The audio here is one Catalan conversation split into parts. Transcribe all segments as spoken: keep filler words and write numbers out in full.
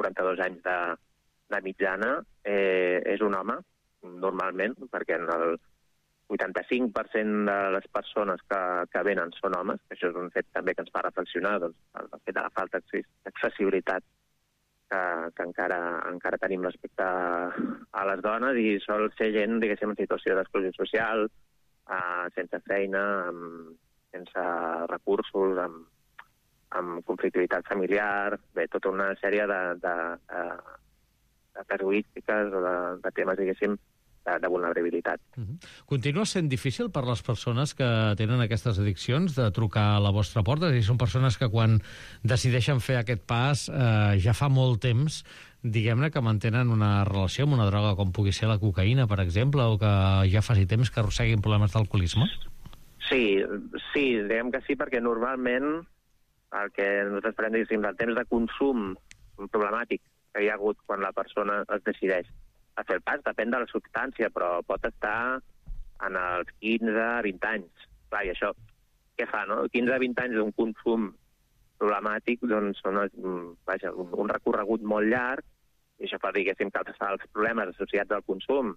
quaranta-dos anys de, de mitjana, eh, és un home, normalment, perquè en el vuitanta-cinc per cent de les persones que, que venen són homes, que això és un fet també que ens fa reflexionar, doncs, el fet de la falta d'accessibilitat que, que encara, encara tenim respecte a les dones, i sol ser gent, diguéssim, en situació d'exclusió social, eh, sense feina, amb, sense recursos, amb, amb conflictivitat familiar, bé, tota una sèrie de, de, de, de casuístiques o de, de temes, diguéssim, de, de vulnerabilitat. Uh-huh. Continua sent difícil per les persones que tenen aquestes addiccions de trucar a la vostra porta? És a dir, són persones que quan decideixen fer aquest pas eh, ja fa molt temps, diguem-ne, que mantenen una relació amb una droga com pugui ser la cocaïna, per exemple, o que ja faci temps que arrosseguin problemes d'alcoholisme? Sí, sí, diguem que sí, perquè normalment el que nosaltres parlem, diguéssim, del temps de consum problemàtic que hi ha hagut quan la persona es decideix a fer el pas, depèn de la substància, però pot estar en els quinze a vint anys. Clar, i això, què fa, no? quinze a vint anys d'un consum problemàtic, doncs són vaja, un, un recorregut molt llarg, i això fa, diguéssim, que els problemes associats al consum,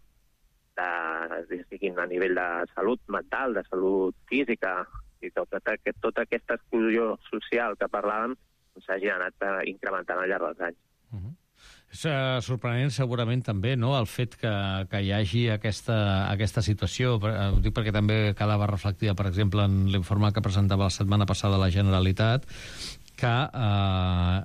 de, siguin a nivell de salut mental, de salut física, i tota, tota aquesta exclusió social que parlàvem, s'hagin anat incrementant al llarg dels anys. Uh-huh. És uh, sorprenent segurament també, no?, el fet que, que hi hagi aquesta, aquesta situació. Ho dic perquè també quedava reflectida, per exemple, en l'informe que presentava la setmana passada la Generalitat, que eh,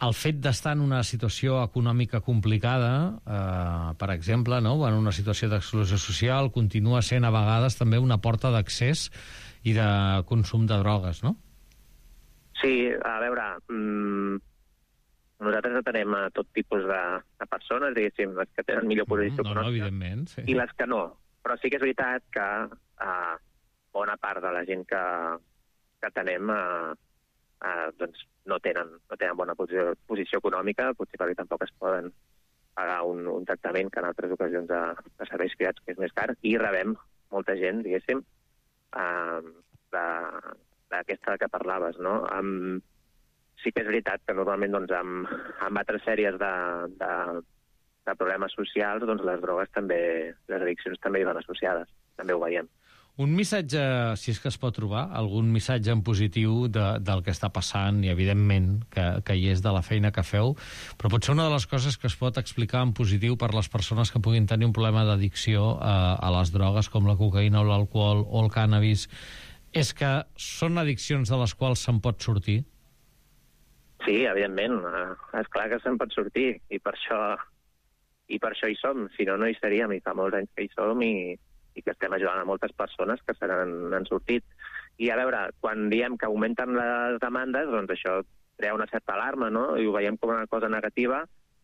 el fet d'estar en una situació econòmica complicada, eh, per exemple, no?, en una situació d'exclusió social, continua sent a vegades també una porta d'accés i de consum de drogues, no? Sí, a veure... Mm... Nosaltres atenem a tot tipus de, de persones, diguéssim, les que tenen millor posició no, no, econòmica, sí. I les que no. Però sí que és veritat que eh, bona part de la gent que, que atenem eh, eh, doncs no tenen, no tenen bona posició, posició econòmica, potser perquè tampoc es poden pagar un, un tractament que en altres ocasions de, de serveis privats que és més car, i rebem molta gent, diguéssim, eh, d'aquesta que parlaves, no?, amb sí que és veritat que normalment doncs, amb, amb altres sèries de, de, de problemes socials, doncs les drogues també, les addiccions també hi van associades, també ho veiem. Un missatge, si és que es pot trobar, algun missatge en positiu de, del que està passant, i evidentment que, que hi és de la feina que feu, però potser una de les coses que es pot explicar en positiu per les persones que puguin tenir un problema d'addicció a, a les drogues com la cocaïna o l'alcohol o el cànnabis, és que són addiccions de les quals se'n pot sortir? Sí, evidentment, és clar que se'n pot sortir, i per això i per això hi som, si no, no hi seríem, i fa molts anys que hi som, i, i que estem ajudant a moltes persones que se n'han sortit. I a veure, quan diem que augmenten les demandes, doncs això crea una certa alarma, no?, i ho veiem com una cosa negativa,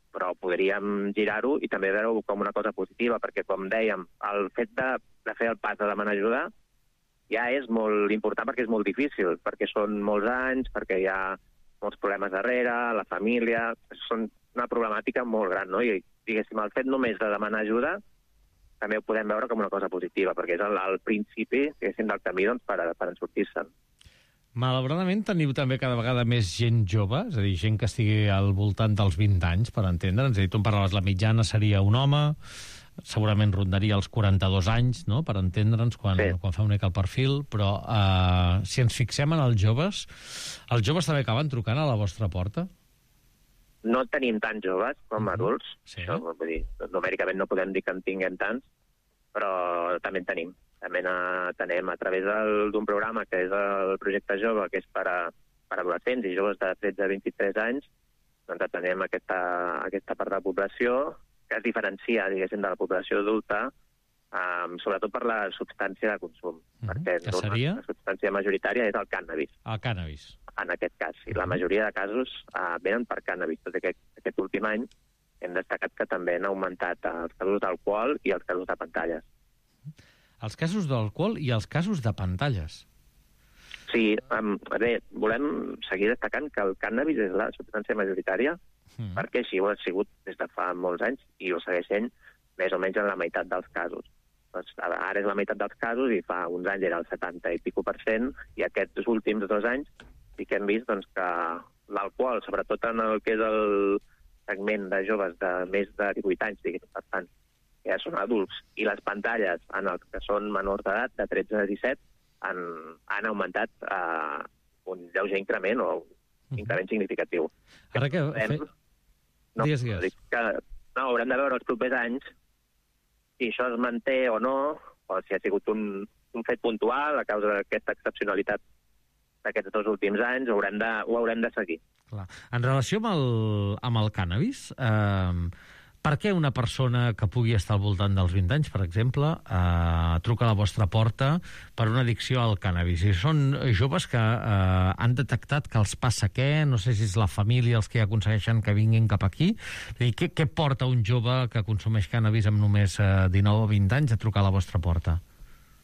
però podríem girar-ho i també veure-ho com una cosa positiva, perquè, com dèiem, el fet de, de fer el pas de demanar ajuda ja és molt important, perquè és molt difícil, perquè són molts anys, perquè hi ha molts problemes darrere, la família... Són una problemàtica molt gran, no? I, diguéssim, el fet només de demanar ajuda també ho podem veure com una cosa positiva, perquè és el, el principi, diguéssim, del camí doncs, per, per en sortir-se'n. Malauradament teniu també cada vegada més gent jove, és a dir, gent que estigui al voltant dels vint anys, per entendre'ns. És a dir, tu em parlaves, la mitjana seria un home, segurament rondaria els quaranta-dos anys, no?, per entendre'ns, quan, sí. quan fa una mica el perfil, però eh, si ens fixem en els joves, els joves també acaben trucant a la vostra porta? No tenim tants joves com uh-huh. adults, sí. això, vull dir, numèricament no podem dir que en tinguem tants, però també en tenim. També tenem a través d'un programa que és el Projecte Jove, que és per a, per a adolescents i joves de tretze a vint-i-tres anys, doncs atenem aquesta, aquesta part de la població que es diferencia, diguéssim, de la població adulta, um, sobretot per la substància de consum. Uh-huh. Perquè que seria? La substància majoritària és el cànnabis. El cànnabis. En aquest cas. I la majoria de casos uh, venen per cànnabis. Tot aquest, aquest últim any hem destacat que també han augmentat els casos d'alcohol i els casos de pantalles. Els casos d'alcohol i els casos de pantalles. Sí, um, bé, volem seguir destacant que el cànnabis és la substància majoritària, mm. perquè així ho ha sigut des de fa molts anys i ho segueix sent més o menys en la meitat dels casos. Doncs ara és la meitat dels casos i fa uns anys era el setanta i pico per cent, i aquests últims dos anys sí que hem vist doncs, que l'alcohol, sobretot en el que és el, segment de joves de més de divuit anys, diguem, per tant, que ja són adults, i les pantalles en els que són menors d'edat, de tretze a disset, han, han augmentat uh, un lleuger increment o un increment significatiu. Ara que... Fe... No, digues, digues. Dic que no, haurem de veure els propers anys si això es manté o no, o si ha sigut un, un fet puntual a causa d'aquesta excepcionalitat d'aquests dos últims anys, ho haurem de, ho haurem de seguir. Clar. En relació amb el, amb el cànnabis, eh, per què una persona que pugui estar al voltant dels vint anys, per exemple, eh, truca a la vostra porta per una addicció al cànnabis? I són joves que eh, han detectat que els passa què, no sé si és la família els que aconsegueixen que vinguin cap aquí. I què, què porta un jove que consumeix cànnabis amb només eh, dinou o vint anys a trucar a la vostra porta?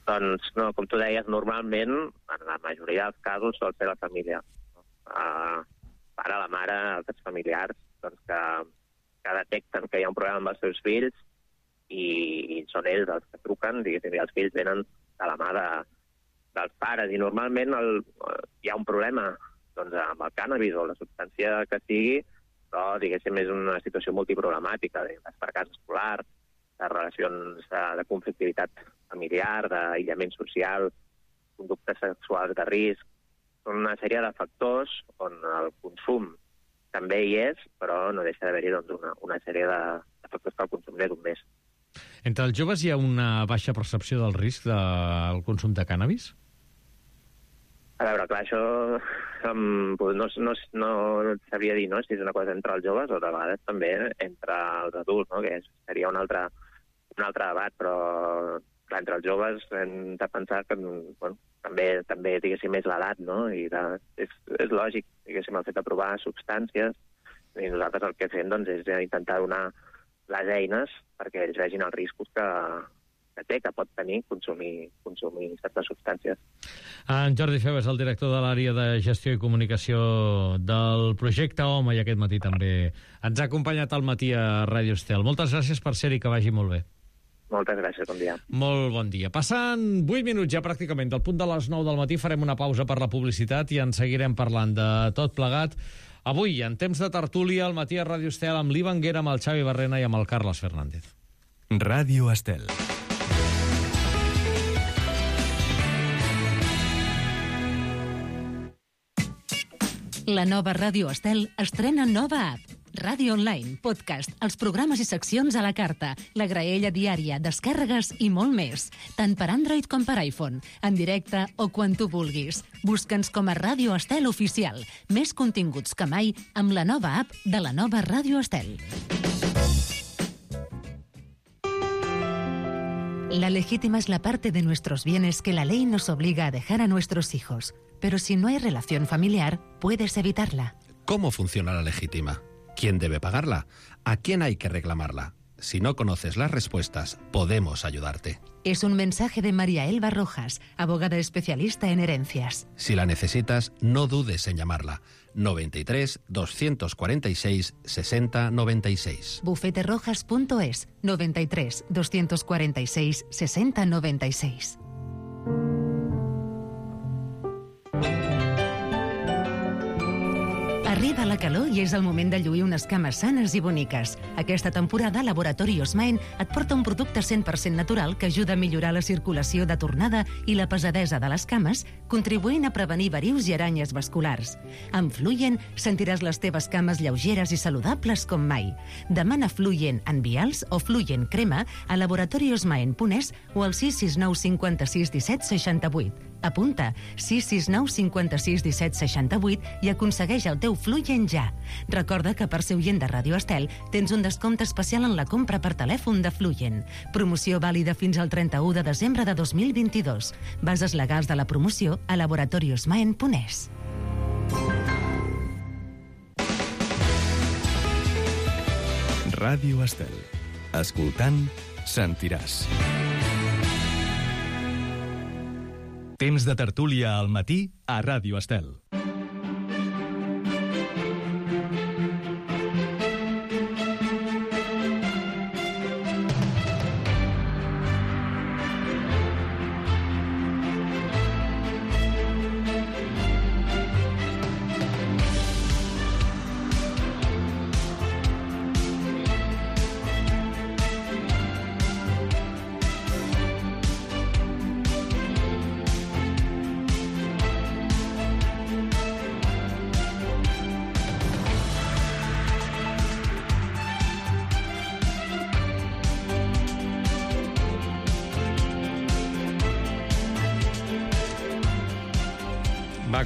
Doncs, no, com tu deies, normalment, en la majoria dels casos, sol ser la família. Uh, pare, la mare, altres familiars, doncs que que detecten que hi ha un problema amb els seus fills i, i són ells els que truquen, diguéssim, i els fills venen de la mà de, dels pares. I normalment el, hi ha un problema doncs, amb el cànnabis o la substància que sigui, però, diguéssim, és una situació multiproblemàtica, de fracàs escolar, de relacions de, de conflictivitat familiar, d'aïllament social, conductes sexuals de risc. Són una sèrie de factors on el consum també hi és, però no deixa d'haver-hi doncs, una, una sèrie de, de factors que el consum n'és un més. Entre els joves hi ha una baixa percepció del risc del consum de cànnabis? A veure, clar, això um, no, no, no sabria dir no, si és una cosa entre els joves o de vegades també entre els adults, no? Que seria un altre, un altre debat, però clar, entre els joves hem de pensar que bueno, també, també diguéssim, és l'edat, no? I de, és, és lògic, diguéssim, el fet de provar substàncies, i nosaltres el que fem doncs, és intentar donar les eines perquè ells vegin els riscos que, que té, que pot tenir consumir, consumir certes substàncies. En Jordi Feu és el director de l'àrea de gestió i comunicació del projecte Home, i aquest matí també ens ha acompanyat al matí a Ràdio Estel. Moltes gràcies per ser-hi, que vagi molt bé. Moltes gràcies, bon dia. Molt bon dia. Passant vuit minuts ja pràcticament del punt de les nou del matí, farem una pausa per la publicitat i en seguirem parlant de tot plegat. Avui, en temps de tertúlia, al matí a Ràdio Estel, amb l'Ivan Guera, amb el Xavi Barrena i amb el Carles Fernández. Ràdio Estel. La nova Ràdio Estel estrena nova app. Ràdio online, podcast, els programes i seccions a la carta, la graella diària, descàrregues i molt més. Tant per Android com per iPhone, en directe o quan tu vulguis. Busca'ns com a Ràdio Estel Oficial. Més continguts que mai amb la nova app de la nova Ràdio Estel. La legítima es la parte de nuestros bienes que la ley nos obliga a dejar a nuestros hijos. Pero si no hay relación familiar, puedes evitarla. ¿Cómo funciona la legítima? ¿Quién debe pagarla? ¿A quién hay que reclamarla? Si no conoces las respuestas, podemos ayudarte. Es un mensaje de María Elba Rojas, abogada especialista en herencias. Si la necesitas, no dudes en llamarla. noventa y tres, doscientos cuarenta y seis, sesenta noventa y seis. bufete rojas punto es, noventa y tres, doscientos cuarenta y seis, sesenta noventa y seis. Arriba la calor i és el moment de lluir unes cames sanes i boniques. Aquesta temporada, Laboratori Osmaen et porta un producte cent per cent natural que ajuda a millorar la circulació de tornada i la pesadesa de les cames, contribuint a prevenir verius i aranyes vasculars. Amb Fluyen sentiràs les teves cames lleugeres i saludables com mai. Demana Fluyen en vials o Fluyen crema a laboratori osmaen punt es o al sis sis nou cinquanta-sis disset seixanta-vuit. Apunta sis sis nou cinquanta-sis disset seixanta-vuit i aconsegueix el teu Fluyen ja. Recorda que per ser oient de Ràdio Estel tens un descompte especial en la compra per telèfon de Fluyen. Promoció vàlida fins al trenta-u de desembre de dos mil vint-i-dos. Bases legals de la promoció a laboratori osmaen punt es. Ràdio Estel. Escoltant, sentiràs. Temps de tertúlia al matí a Ràdio Estel.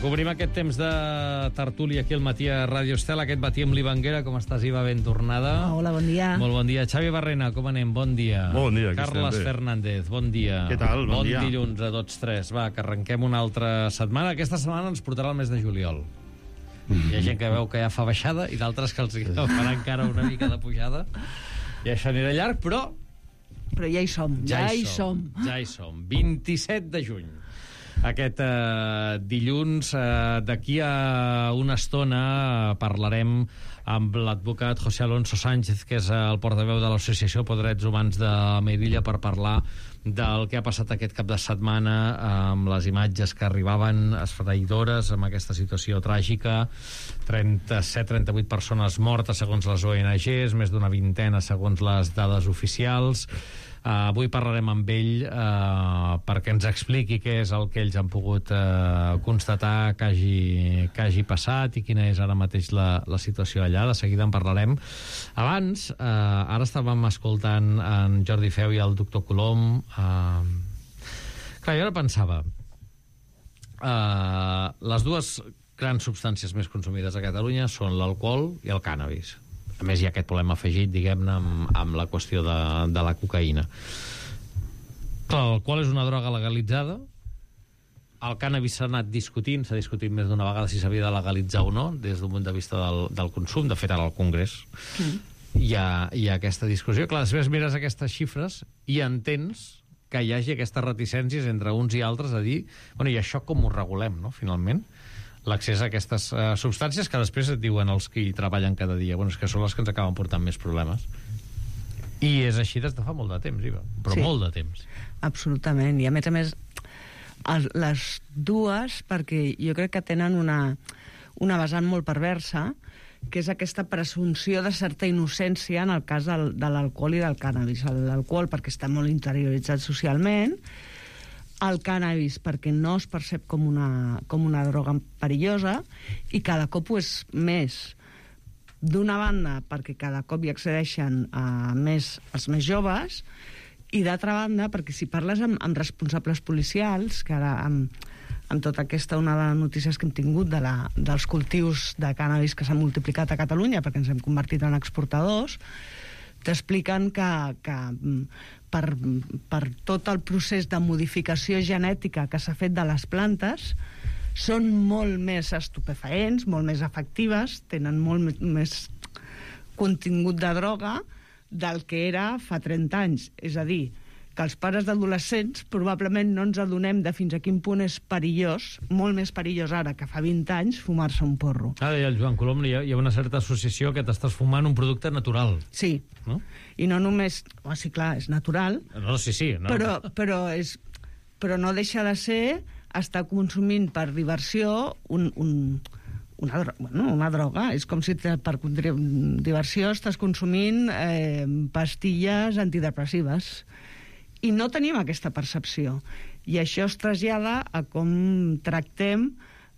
Vinga, cobrim aquest temps de tertúlia aquí al matí a Ràdio Estel. Aquest matí amb l'Iva Anguera. Com estàs, Iva? Ben tornada. Hola, bon dia. Molt bon dia. Xavi Barrena, com anem? Bon dia. Bon dia, aquí Carles estem bé. Fernández, bon dia. Què tal? Bon bon dia. dilluns a tots tres. Va, que arrenquem una altra setmana. Aquesta setmana ens portarà el mes de juliol. Hi ha gent que veu que ja fa baixada i d'altres que els farà encara una mica de pujada. I això anirà llarg, però... Però ja hi som, ja, ja hi som. som. Ja hi som. vint-i-set de juny. Aquest eh, dilluns, eh, d'aquí a una estona, eh, parlarem amb l'advocat José Alonso Sánchez, que és el portaveu de l'Associació per Drets Humans de Melilla, per parlar del que ha passat aquest cap de setmana amb les imatges que arribaven esfereïdores amb aquesta situació tràgica. trenta-set trenta-vuit persones mortes segons les O N Ges, més d'una vintena segons les dades oficials. Uh, avui parlarem amb ell uh, perquè ens expliqui què és el que ells han pogut uh, constatar que hagi, que hagi passat i quina és ara mateix la, la situació allà. De seguida en parlarem. Abans, uh, ara estàvem escoltant en Jordi Feu i el doctor Colom. Uh, clar, jo ara pensava uh, les dues grans substàncies més consumides a Catalunya són l'alcohol i el cànnabis. A més, hi ha aquest problema afegit, diguem-ne, amb, amb la qüestió de, de la cocaïna. Clar, l'alcohol és una droga legalitzada. El cànnabis s'ha anat discutint, s'ha discutit més d'una vegada si s'havia de legalitzar o no, des d'un punt de vista del, del consum. De fet, ara al Congrés mm. hi, ha, hi ha aquesta discussió. Clar, després mires aquestes xifres i entens que hi hagi aquestes reticències entre uns i altres a dir, bueno, i això com ho regulem, no?, finalment? L'accés a aquestes uh, substàncies que després et diuen els que hi treballen cada dia. Bueno, és que són les que ens acaben portant més problemes. I és així des de fa molt de temps, Iva. Però sí, molt de temps. Absolutament. I a més a més, el, les dues, perquè jo crec que tenen una, una vessant molt perversa, que és aquesta presumpció de certa innocència en el cas del, de l'alcohol i del cànnabis. L'alcohol perquè està molt interioritzat socialment, el cànnabis perquè no es percep com una, com una droga perillosa i cada cop ho és més. D'una banda, perquè cada cop hi accedeixen a més els més joves, i d'altra banda, perquè si parles amb, amb responsables policials, que ara amb, amb tota aquesta onada de notícies que hem tingut de la, dels cultius de cànnabis que s'han multiplicat a Catalunya perquè ens hem convertit en exportadors, t'expliquen que, que per, per tot el procés de modificació genètica que s'ha fet de les plantes són molt més estupefaents, molt més efectives, tenen molt més contingut de droga del que era fa trenta anys. És a dir, que els pares d'adolescents probablement no ens adonem de fins a quin punt és perillós, molt més perillós ara que fa vint anys, fumar-se un porro. Ah, deia el Joan Colom, hi ha, hi ha una certa associació que t'estàs fumant un producte natural. Sí, no? I no només... Oh, sí, clar, és natural. No, sí, sí. No. Però, però, és, però no deixa de ser estar consumint per diversió un... un Una, dro bueno, una droga. És com si te, per diversió estàs consumint eh, pastilles antidepressives. I no tenim aquesta percepció. I això es trasllada a com tractem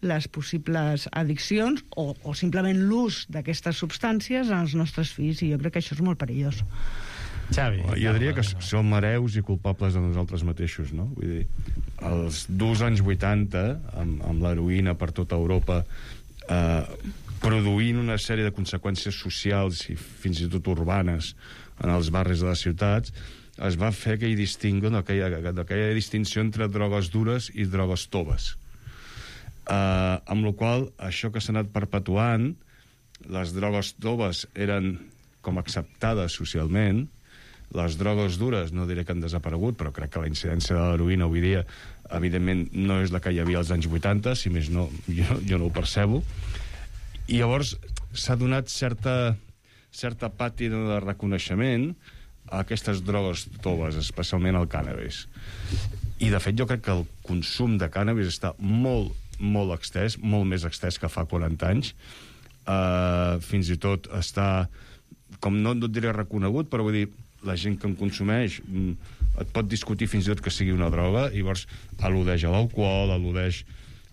les possibles addiccions o, o simplement l'ús d'aquestes substàncies als nostres fills, i jo crec que això és molt perillós. Xavi. Jo diria que som hereus i culpables de nosaltres mateixos, no? Vull dir, els durs anys vuitanta, amb, amb l'heroïna per tota Europa, eh, produint una sèrie de conseqüències socials i fins i tot urbanes en els barris de les ciutats, es va fer aquell distingo, no, aquella, aquella distinció entre drogues dures i drogues toves. Uh, amb la qual això que s'ha anat perpetuant, les drogues toves eren com acceptades socialment, les drogues dures no diré que han desaparegut, però crec que la incidència de l'heroïna avui dia evidentment no és la que hi havia als anys vuitanta, si més no, jo, jo no ho percebo. I llavors s'ha donat certa, certa pàtina de reconeixement a aquestes drogues toves, especialment el cànnabis. I de fet jo crec que el consum de cànnabis està molt, molt extès, molt més extès que fa quaranta anys. Uh, fins i tot està, com no, no et diré reconegut, però vull dir, la gent que en consumeix et pot discutir fins i tot que sigui una droga, i llavors al·ludeix a l'alcohol, al·ludeix,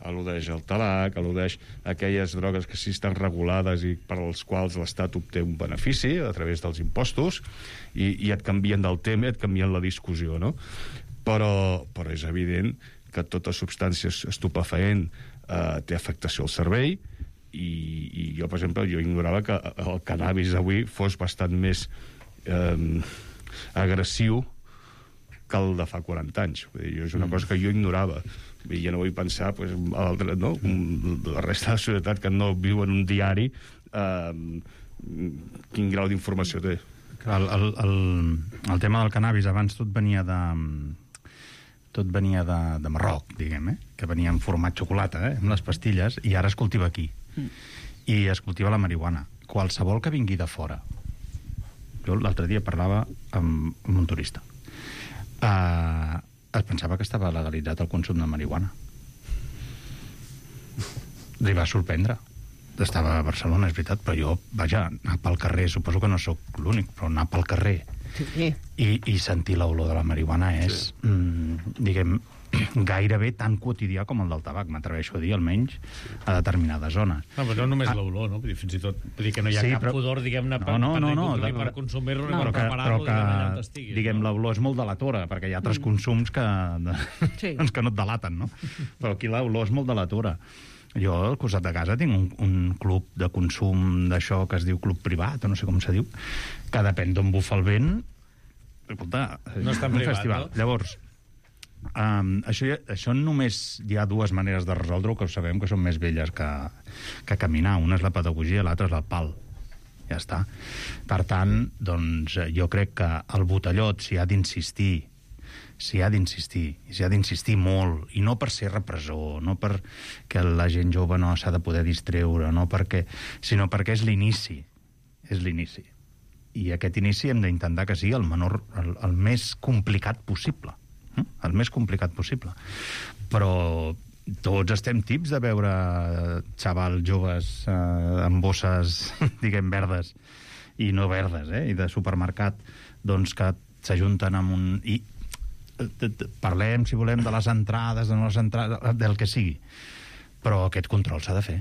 al·ludeix al tabac, al·ludeix aquelles drogues que sí estan regulades i per als quals l'Estat obté un benefici a través dels impostos, i, i et canvien del tema, et canvien la discussió, no? Però, però és evident que tota substància estupefaent eh, té afectació al cervell, i, i jo, per exemple, jo ignorava que el cannabis avui fos bastant més eh, agressiu que el de fa quaranta anys. Vull dir, és una cosa que jo ignorava. Vull dir, jo no vull pensar, pues, altre, no? La resta de la societat que no viu en un diari, eh, quin grau d'informació té. El, el, el, el tema del cannabis, abans tot venia de... tot venia de, de Marroc, diguem, eh? Que venia en format xocolata, eh? Amb les pastilles, i ara es cultiva aquí. Mm. I es cultiva la marihuana. Qualsevol que vingui de fora. Jo l'altre dia parlava amb, amb un turista. Uh, es pensava que estava legalitzat el consum de marihuana. Li va sorprendre. Estava a Barcelona, és veritat, però jo, vaja, anar pel carrer, suposo que no sóc l'únic, però anar pel carrer sí. i, i sentir l'olor de la marihuana és, sí. mm, diguem, gairebé tan quotidià com el del tabac, m'atreveixo a dir, almenys a determinades zones. No, però no només ah. l'olor, no? Vull dir, fins i tot vull dir que no hi ha sí, cap però... pudor, diguem-ne, per, no, no, no, per, no, per consumir-lo no, ni per preparar-lo, que, diguem, allà on estiguis. Diguem, no? l'olor és molt delatora, perquè hi ha altres mm. consums que, de, sí. doncs que no et delaten, no? Però aquí l'olor és molt delatora. Jo, al costat de casa, tinc un, un club de consum d'això que es diu club privat, o no sé com se diu, que depèn d'on bufa el vent. Escolta, no està en un privat, festival. No? Llavors, um, això, això només hi ha dues maneres de resoldre-ho, que ho sabem que són més velles que, que caminar. Una és la pedagogia, l'altra és el pal. Ja està. Per tant, doncs, jo crec que el botellot s'hi ha d'insistir, s'hi ha d'insistir, i s'hi ha d'insistir molt, i no per ser repressor, no perquè la gent jove no s'ha de poder distreure, no perquè, sinó perquè és l'inici, és l'inici. I aquest inici hem d'intentar que sigui el menor, el, el més complicat possible, eh? el més complicat possible. Però tots estem tips de veure xavals joves eh, amb bosses, diguem, verdes, i no verdes, eh? I de supermercat, doncs que s'ajunten amb un... I, parlem, si volem, de les entrades, de les entrades, del que sigui. Però aquest control s'ha de fer.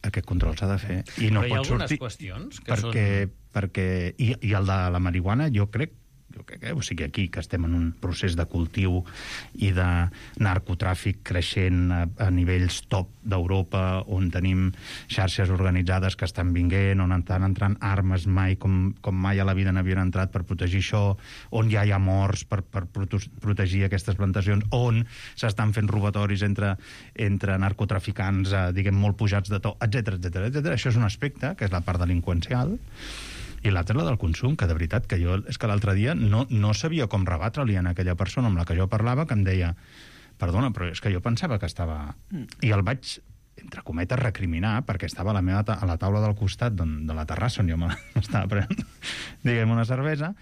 Aquest control s'ha de fer. I no però hi ha pot algunes sortir qüestions que perquè, són... perquè i, i el de la marihuana, jo crec, jo crec que, o sigui, aquí, que estem en un procés de cultiu i de narcotràfic creixent a, a nivells top d'Europa, on tenim xarxes organitzades que estan vinguent, on estan entrant armes mai com, com mai a la vida n'havien entrat per protegir això, on ja hi ha morts per, per protegir aquestes plantacions, on s'estan fent robatoris entre, entre narcotraficants, eh, diguem, molt pujats de to, etcètera, etcètera, etcètera. Això és un aspecte, que és la part delinqüencial, i l'altra és la del consum, que de veritat que jo és que l'altre dia no, no sabia com rebatre-li a aquella persona amb la que jo parlava, que em deia, perdona, però és que jo pensava que estava... I el vaig, entre cometes, recriminar, perquè estava a la, meva ta a la taula del costat de la terrassa on jo m'estava prenent, diguem, una cervesa,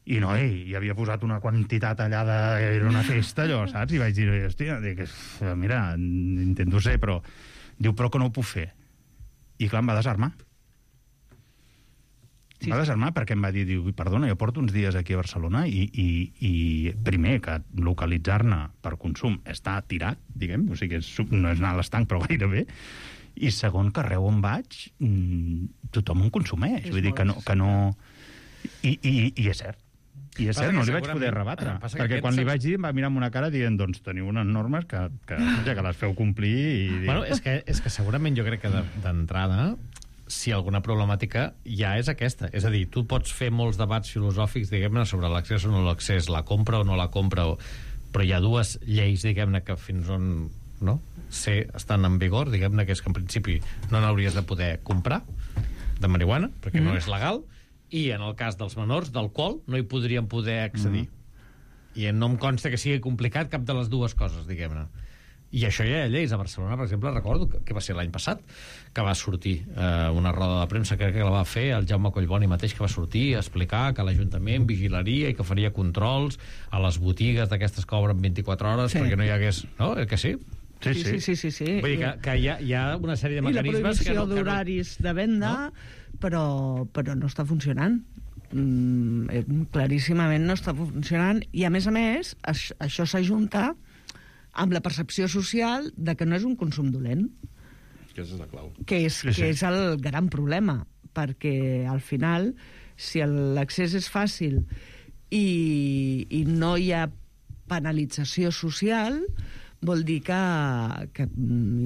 i no, ell, hi havia posat una quantitat allà de... Era una festa, allò, saps? I vaig dir, hòstia, dic, mira, intento ser, però... Diu, però que no ho puc fer. I clar, em va desarmar. Sí. Va desarmar perquè em va dir, diu, perdona, jo porto uns dies aquí a Barcelona i, i, i primer, que localitzar-ne per consum està tirat, diguem, o sigui, és, no és anar a l'estanc, però gairebé, i segon, que arreu on vaig, tothom en consumeix, és vull dir que no... Que no... I, i, I és cert. I és cert, no li vaig poder rebatre, perquè quan li vaig dir em va mirar amb una cara dient, doncs teniu unes normes que, que, ja que les feu complir i... Bueno, és que, és que segurament jo crec que d'entrada... si alguna problemàtica ja és aquesta. És a dir, tu pots fer molts debats filosòfics, diguem-ne, sobre l'accés o no l'accés, la compra o no la compra, o... però hi ha dues lleis, diguem-ne, que fins on no? Ser, estan en vigor, diguem-ne, que és que en principi no n'hauries de poder comprar de marihuana, perquè mm. no és legal, i en el cas dels menors, d'alcohol, no hi podrien poder accedir. Mm. I no em consta que sigui complicat cap de les dues coses, diguem-ne. I això ja hi ha lleis. A Barcelona, per exemple, recordo que, que va ser l'any passat que va sortir eh, una roda de premsa, crec que la va fer el Jaume Collboni mateix, que va sortir a explicar que l'Ajuntament vigilaria i que faria controls a les botigues d'aquestes que obren vint-i-quatre hores sí. perquè no hi hagués... No? Eh, que sí? Sí, sí, sí, sí, sí, sí. Vull dir que, que hi, ha, hi ha una sèrie de mecanismes... I la prohibició no, d'horaris no... de venda, no? però, però no està funcionant. Mm, claríssimament no està funcionant. I, a més a més, això, això s'ajunta amb la percepció social de que no és un consum dolent. Que és la clau. Que és, sí, sí. que és el gran problema, perquè al final, si l'accés és fàcil i, i no hi ha penalització social, vol dir que, que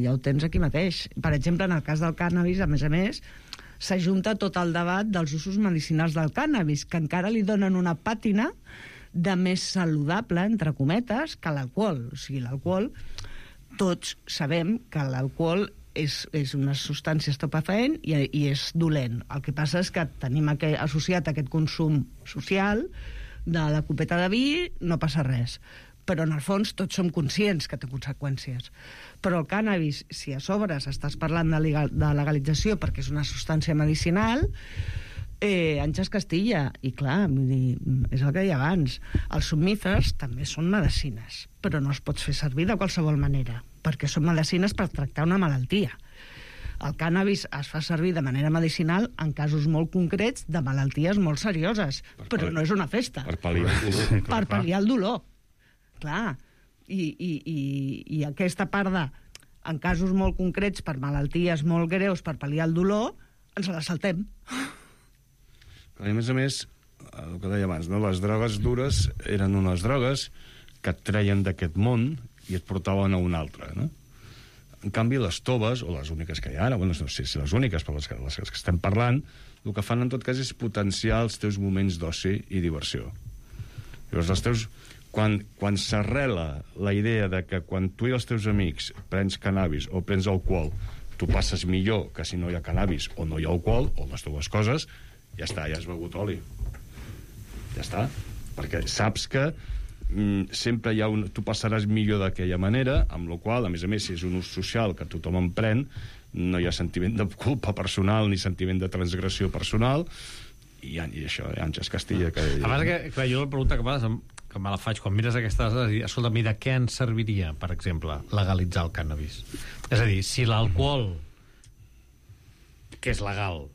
ja ho tens aquí mateix. Per exemple, en el cas del cànnabis, a més a més, s'ajunta tot el debat dels usos medicinals del cànnabis, que encara li donen una pàtina de més saludable, entre cometes, que l'alcohol. O sigui, l'alcohol, tots sabem que l'alcohol és, és una substància estupefaent i, i és dolent. El que passa és que tenim aquest, associat a aquest consum social de la copeta de vi, no passa res. Però en el fons tots som conscients que té conseqüències. Però el cànnabis, si a sobre estàs parlant de, legal, de legalització perquè és una substància medicinal, eh, anys es castilla. I clar, vull dir, és el que deia abans, els somnífers també són medicines, però no els pots fer servir de qualsevol manera, perquè són medicines per tractar una malaltia. El cànnabis es fa servir de manera medicinal en casos molt concrets de malalties molt serioses, per però no és una festa. Per pal·liar el dolor. Per pal·liar el dolor. Clar, i, i, i, i aquesta part de, en casos molt concrets, per malalties molt greus, per pal·liar el dolor, ens la saltem. I a més a més, el que deia abans, no? Les drogues dures eren unes drogues que et treien d'aquest món i et portaven a un altre, no? En canvi, les toves, o les úniques que hi ha ara, bueno, no sé si les úniques, però les que, les que estem parlant, el que fan en tot cas és potenciar els teus moments d'oci i diversió. Llavors, els teus... Quan, quan s'arrela la idea de que quan tu i els teus amics prens cannabis o prens alcohol, tu passes millor que si no hi ha cannabis o no hi ha alcohol, o les dues coses, ja està, ja has begut oli. Ja està. Perquè saps que mm, sempre hi ha un... tu passaràs millor d'aquella manera, amb la qual, a més a més, si és un ús social que tothom en pren, no hi ha sentiment de culpa personal ni sentiment de transgressió personal, i, i això, ja ens es castilla. Que... A part que, clar, jo la pregunta que m'has que me la faig quan mires aquestes dades i, escolta, mira, què ens serviria, per exemple, legalitzar el cànnabis? És a dir, si l'alcohol, que és legal,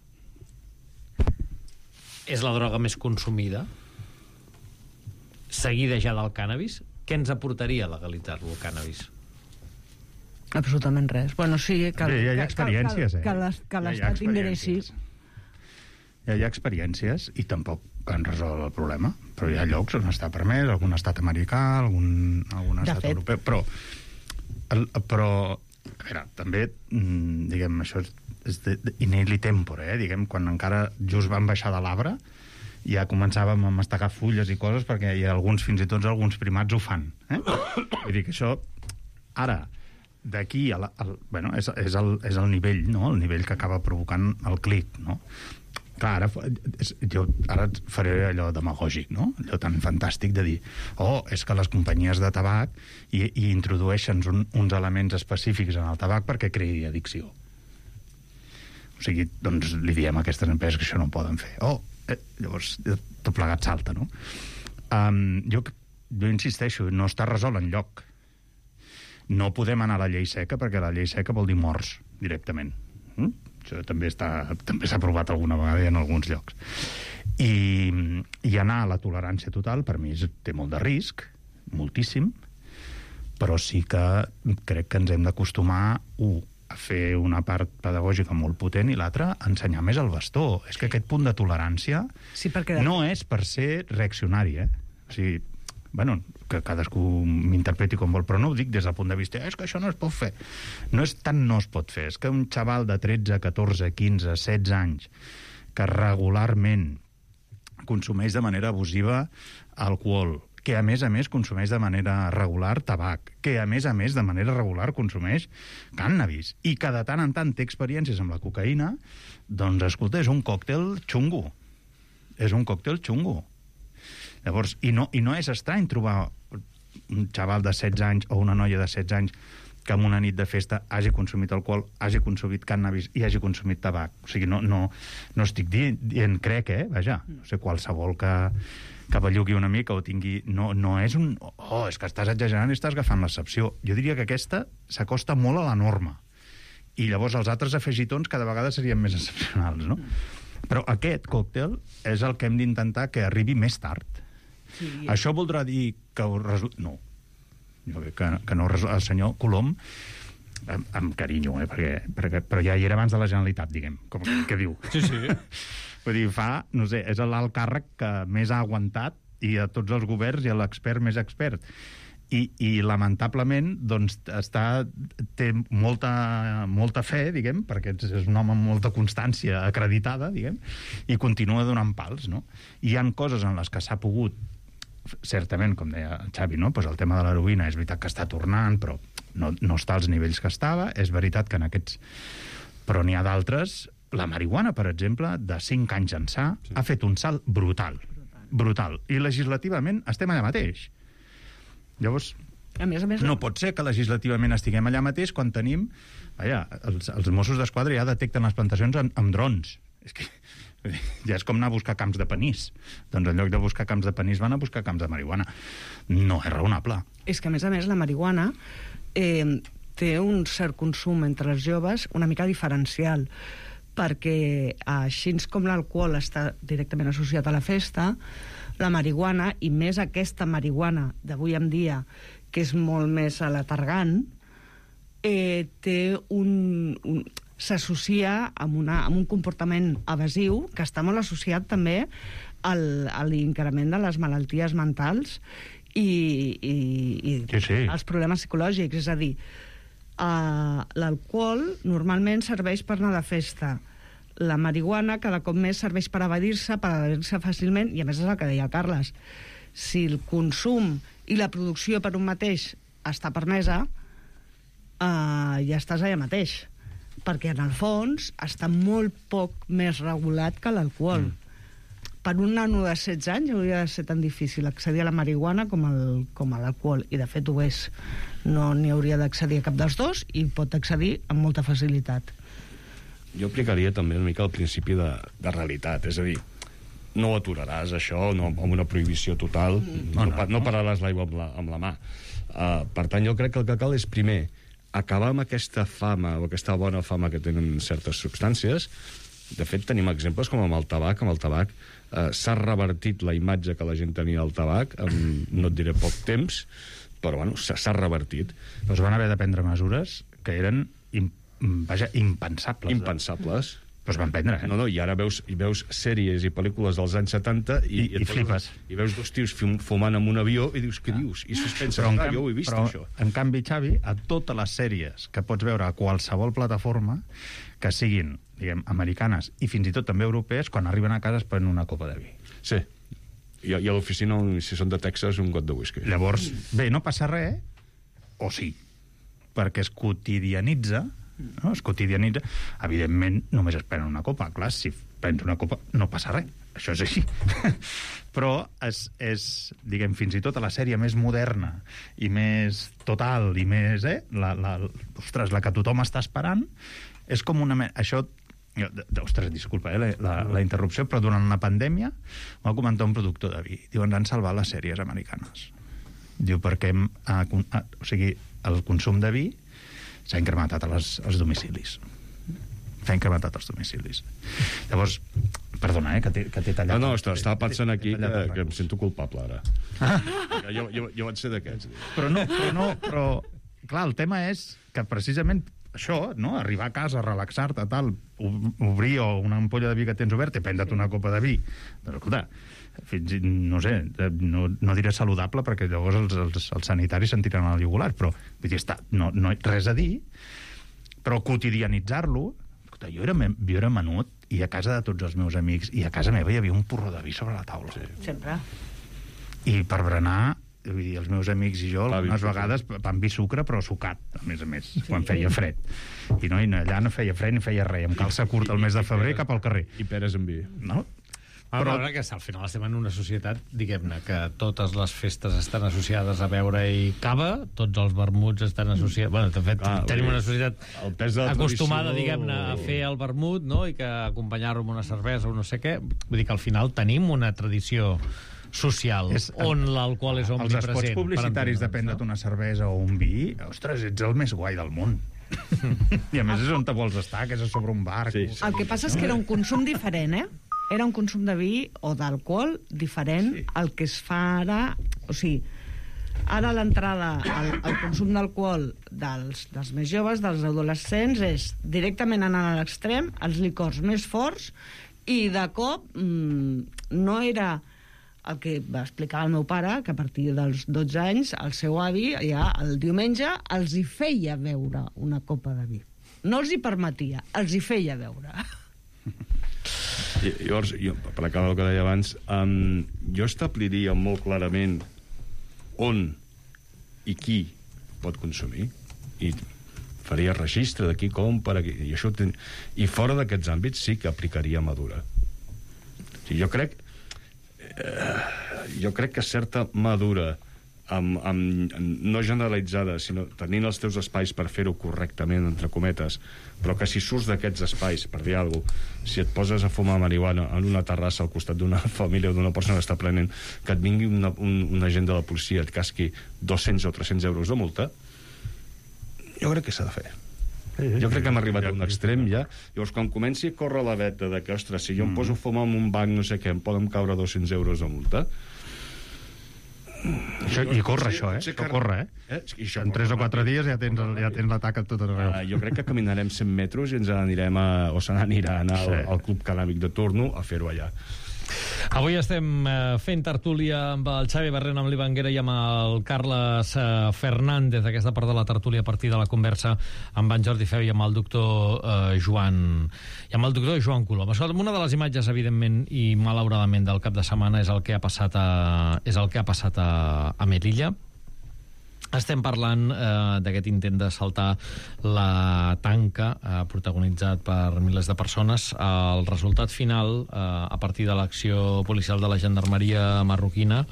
és la droga més consumida, seguida ja del cànnabis, què ens aportaria legalitzar-lo, el cànnabis? Absolutament res. Bueno, sí, que, Bé, ja hi ha que, experiències, que, que, eh? que l'Estat ingressi. Ja hi ha experiències i tampoc han resolt el problema, però hi ha llocs on està permès, algun estat americà, algun, algun estat fet. europeu, però, el, però a veure, també, diguem, això és, és de, de, in illi tempore, eh? Diguem, quan encara just van baixar de l'arbre, ja començàvem a mastegar fulles i coses, perquè hi ha alguns, fins i tot alguns primats ho fan, eh? Vull dir que això, ara, d'aquí a la, al, bueno, és, és, el, és el nivell, no? El nivell que acaba provocant el clic, no? Clar, ara, jo ara faré allò demagògic, no? Allò tan fantàstic de dir, oh, és que les companyies de tabac i, i introdueixen un, uns elements específics en el tabac perquè creï addicció. O sigui, doncs li diem a aquestes empreses que això no ho poden fer. Oh, eh, llavors tot plegat salta, no? Um, jo, jo insisteixo, no està resolt enlloc. No podem anar a la llei seca perquè la llei seca vol dir morts directament. Mm? Això també està, també s'ha provat alguna vegada i en alguns llocs. I, i anar a la tolerància total, per mi, té molt de risc, moltíssim, però sí que crec que ens hem d'acostumar, un, a fer una part pedagògica molt potent i l'altra, a ensenyar més el bastó. És que aquest punt de tolerància sí, perquè... no és per ser reaccionari, eh? O sigui, bueno, que cadascú m'interpreti com vol, però no ho dic des del punt de vista és que això no es pot fer. No és tant no es pot fer, és que un xaval de tretze, catorze, quinze, setze anys que regularment consumeix de manera abusiva alcohol, que a més a més consumeix de manera regular tabac, que a més a més de manera regular consumeix cànnabis, i que de tant en tant té experiències amb la cocaïna, doncs, escolta, és un còctel xungo. És un còctel xungo. Llavors, i no, i no és estrany trobar un xaval de setze anys o una noia de setze anys que en una nit de festa hagi consumit alcohol, hagi consumit cànnabis i hagi consumit tabac. O sigui, no, no, no estic dient, dient crec, eh? Vaja, no sé, qualsevol que, que bellugui una mica o tingui... No, no és un... Oh, és que estàs exagerant i estàs agafant l'excepció. Jo diria que aquesta s'acosta molt a la norma. I llavors els altres afegitons cada vegada serien més excepcionals, no? Però aquest còctel és el que hem d'intentar que arribi més tard. Sí. Això voldrà dir que ho resol... No. Jo crec que, que no resol... El senyor Colom, amb, amb carinyo, eh, perquè, perquè, però ja hi era abans de la Generalitat, diguem, com que, que diu. Sí, sí. Vull dir, fa, no sé, és l'alt càrrec que més ha aguantat i a tots els governs i a l'expert més expert. I, i lamentablement doncs, està, té molta, molta fe, diguem, perquè és un home amb molta constància acreditada, diguem, i continua donant pals, no? I hi ha coses en les que s'ha pogut, certament, com deia Xavi, no? Pues el tema de l'heroïna és veritat que està tornant, però no, no està als nivells que estava. És veritat que en aquests... Però n'hi ha d'altres. La marihuana, per exemple, de cinc anys ençà, sí. ha fet un salt brutal. Brutal. I legislativament estem allà mateix. Llavors, a més a més, no pot ser que legislativament estiguem allà mateix quan tenim... Vaja, els, els Mossos d'Esquadra ja detecten les plantacions amb, amb drons. És que ja és com anar a buscar camps de panís. Doncs en lloc de buscar camps de panís van a buscar camps de marihuana. No és raonable. És que, a més a més, la marihuana eh, té un cert consum entre els joves una mica diferencial, perquè així com l'alcohol està directament associat a la festa, la marihuana, i més aquesta marihuana d'avui en dia, que és molt més aletargant, eh, té un... un s'associa amb, una, amb un comportament evasiu que està molt associat també al, a l'increment de les malalties mentals i, i, i sí, sí. els problemes psicològics. És a dir, uh, l'alcohol normalment serveix per anar de festa. La marihuana cada cop més serveix per evadir-se, per evadir-se fàcilment, i a més és el que deia el Carles. Si el consum i la producció per un mateix està permesa, uh, ja estàs allà mateix. Perquè en el fons està molt poc més regulat que l'alcohol. Mm. Per un nano de setze anys hauria de ser tan difícil accedir a la marihuana com, el, com a l'alcohol, i de fet ho és. No n'hi hauria d'accedir a cap dels dos i pot accedir amb molta facilitat. Jo aplicaria també una mica el principi de, de realitat, és a dir, no ho aturaràs això, no, amb una prohibició total, mm. no, no, no pararàs l'aigua amb, la, amb la mà. Uh, per tant, jo crec que el que cal és, primer, acabar amb aquesta fama o aquesta bona fama que tenen certes substàncies. De fet, tenim exemples com amb el tabac. Amb el tabac eh, s'ha revertit la imatge que la gent tenia del tabac en, no et diré poc temps, però bueno, s'ha revertit. Doncs van haver de prendre mesures que eren im, vaja, impensables. Impensables. Eh? Però es van prendre, eh? No, no, i ara veus, i veus sèries i pel·lícules dels anys setanta i, I, i, i flipes. I veus dos tios fumant amb un avió i dius, què ah. dius? I es pensa, però, ah, canvi, jo ho he vist, però, això. En canvi, Xavi, a totes les sèries que pots veure a qualsevol plataforma, que siguin, diguem, americanes i fins i tot també europees, quan arriben a casa es prenen una copa de vi. Sí. I, i a l'oficina, si són de Texas, un got de whisky. Llavors, bé, no passa res, o sí, perquè es quotidianitza. No? Es quotidianitza. Evidentment, només es prenen una copa. Clar, si prens una copa, no passa res. Això és així. Però és, és, diguem, fins i tot a la sèrie més moderna i més total i més, eh? La, la, ostres, la que tothom està esperant, és com una... Això... Ostres, disculpa, eh, la, la interrupció, però durant la pandèmia va comentar un productor de vi. Diu, ens han salvat les sèries americanes. Diu, perquè hem, a, a, o sigui, el consum de vi s'ha incrementat als, als domicilis. S'ha incrementat als domicilis. Llavors, perdona, eh, que t'he tallat... No, no, estava pensant aquí que, que em sento culpable, ara. Ah. Jo, jo, jo vaig ser d'aquests. Però no, però no, però... Clar, el tema és que precisament això, no?, arribar a casa, relaxar-te, tal, obrir una ampolla de vi que tens obert i prendre't una copa de vi. Doncs, escolta, fins, no sé, no, no diré saludable perquè llavors els, els, els sanitaris se'n tiren al jugular, però vull dir, està, no, no res a dir, però quotidianitzar-lo. Escolta, jo era, jo era menut i a casa de tots els meus amics i a casa meva hi havia un porró de vi sobre la taula. Sí. Sempre. I per berenar, vull dir, els meus amics i jo, algunes vegades, pan vi sucre, però sucat, a més a més, sí. Quan feia fred. I no, i allà no feia fred ni feia res, amb calça curta al mes de febrer cap al carrer. I peres amb vi. No? Però que al final estem en una societat, diguem-ne, que totes les festes estan associades a beure i cava, tots els vermuts estan associats... Bueno, de fet, ah, tenim una societat acostumada, diguem-ne, a fer el vermut, no?, i que acompanyar-ho amb una cervesa o no sé què. Vull dir que al final tenim una tradició social és, on l'alcohol és omnipresent. Els espots publicitaris de prendre't una cervesa o un vi, ostres, ets el més guai del món. I a més és on te vols estar, que és a sobre un bar. Sí, sí. El que passa és que era un consum diferent, eh? Era un consum de vi o d'alcohol diferent sí. al que es fa ara. O sigui, ara l'entrada al, al consum d'alcohol dels, dels més joves, dels adolescents, és directament anar a l'extrem, els licors més forts, i de cop mmm, no era el que va explicar el meu pare, que a partir dels dotze anys el seu avi ja el diumenge els hi feia beure una copa de vi. No els hi permetia, els hi feia beure. I, llavors, jo, per acabar el que deia abans, um, jo establiria molt clarament on i qui pot consumir, i faria registre de qui compra, i, això ten... i fora d'aquests àmbits sí que aplicaria madura. O sigui, jo crec eh, jo crec que certa madura amb, amb, no generalitzada, sinó tenint els teus espais per fer-ho correctament, entre cometes, però que si surts d'aquests espais, per dir alguna cosa, si et poses a fumar marihuana en una terrassa al costat d'una família o d'una persona que està prenent, que et vingui una, un, un agent de la policia et casqui dos-cents o tres-cents euros de multa, jo crec que s'ha de fer. Jo crec que hem arribat a un extrem ja. Llavors, quan comenci a córrer la veta de que, ostres, si jo em poso a fumar en un banc, no sé què, em poden caure dos-cents euros de multa. Això, I corre això, eh? Això corre, eh? eh? En tres o quatre dies ja tens, ja tens l'atac a tot arreu. Uh, jo crec que caminarem cent metres i ens n'anirem a, o se n'aniran al, sí. al club canàbic de turno a fer-ho allà. Avui estem fent tertúlia amb el Xavi Barrena, amb l'Ivanguera i amb el Carles Fernández, aquesta part de la tertúlia a partir de la conversa amb en Jordi Feu i amb el doctor eh, Joan i amb el doctor Joan Colom. Una de les imatges, evidentment, i malauradament del cap de setmana és el que ha passat a, és el que ha passat a, a Melilla. Estem parlant eh, d'aquest intent de saltar la tanca eh, protagonitzat per milers de persones. El resultat final, eh, a partir de l'acció policial de la gendarmeria marroquina,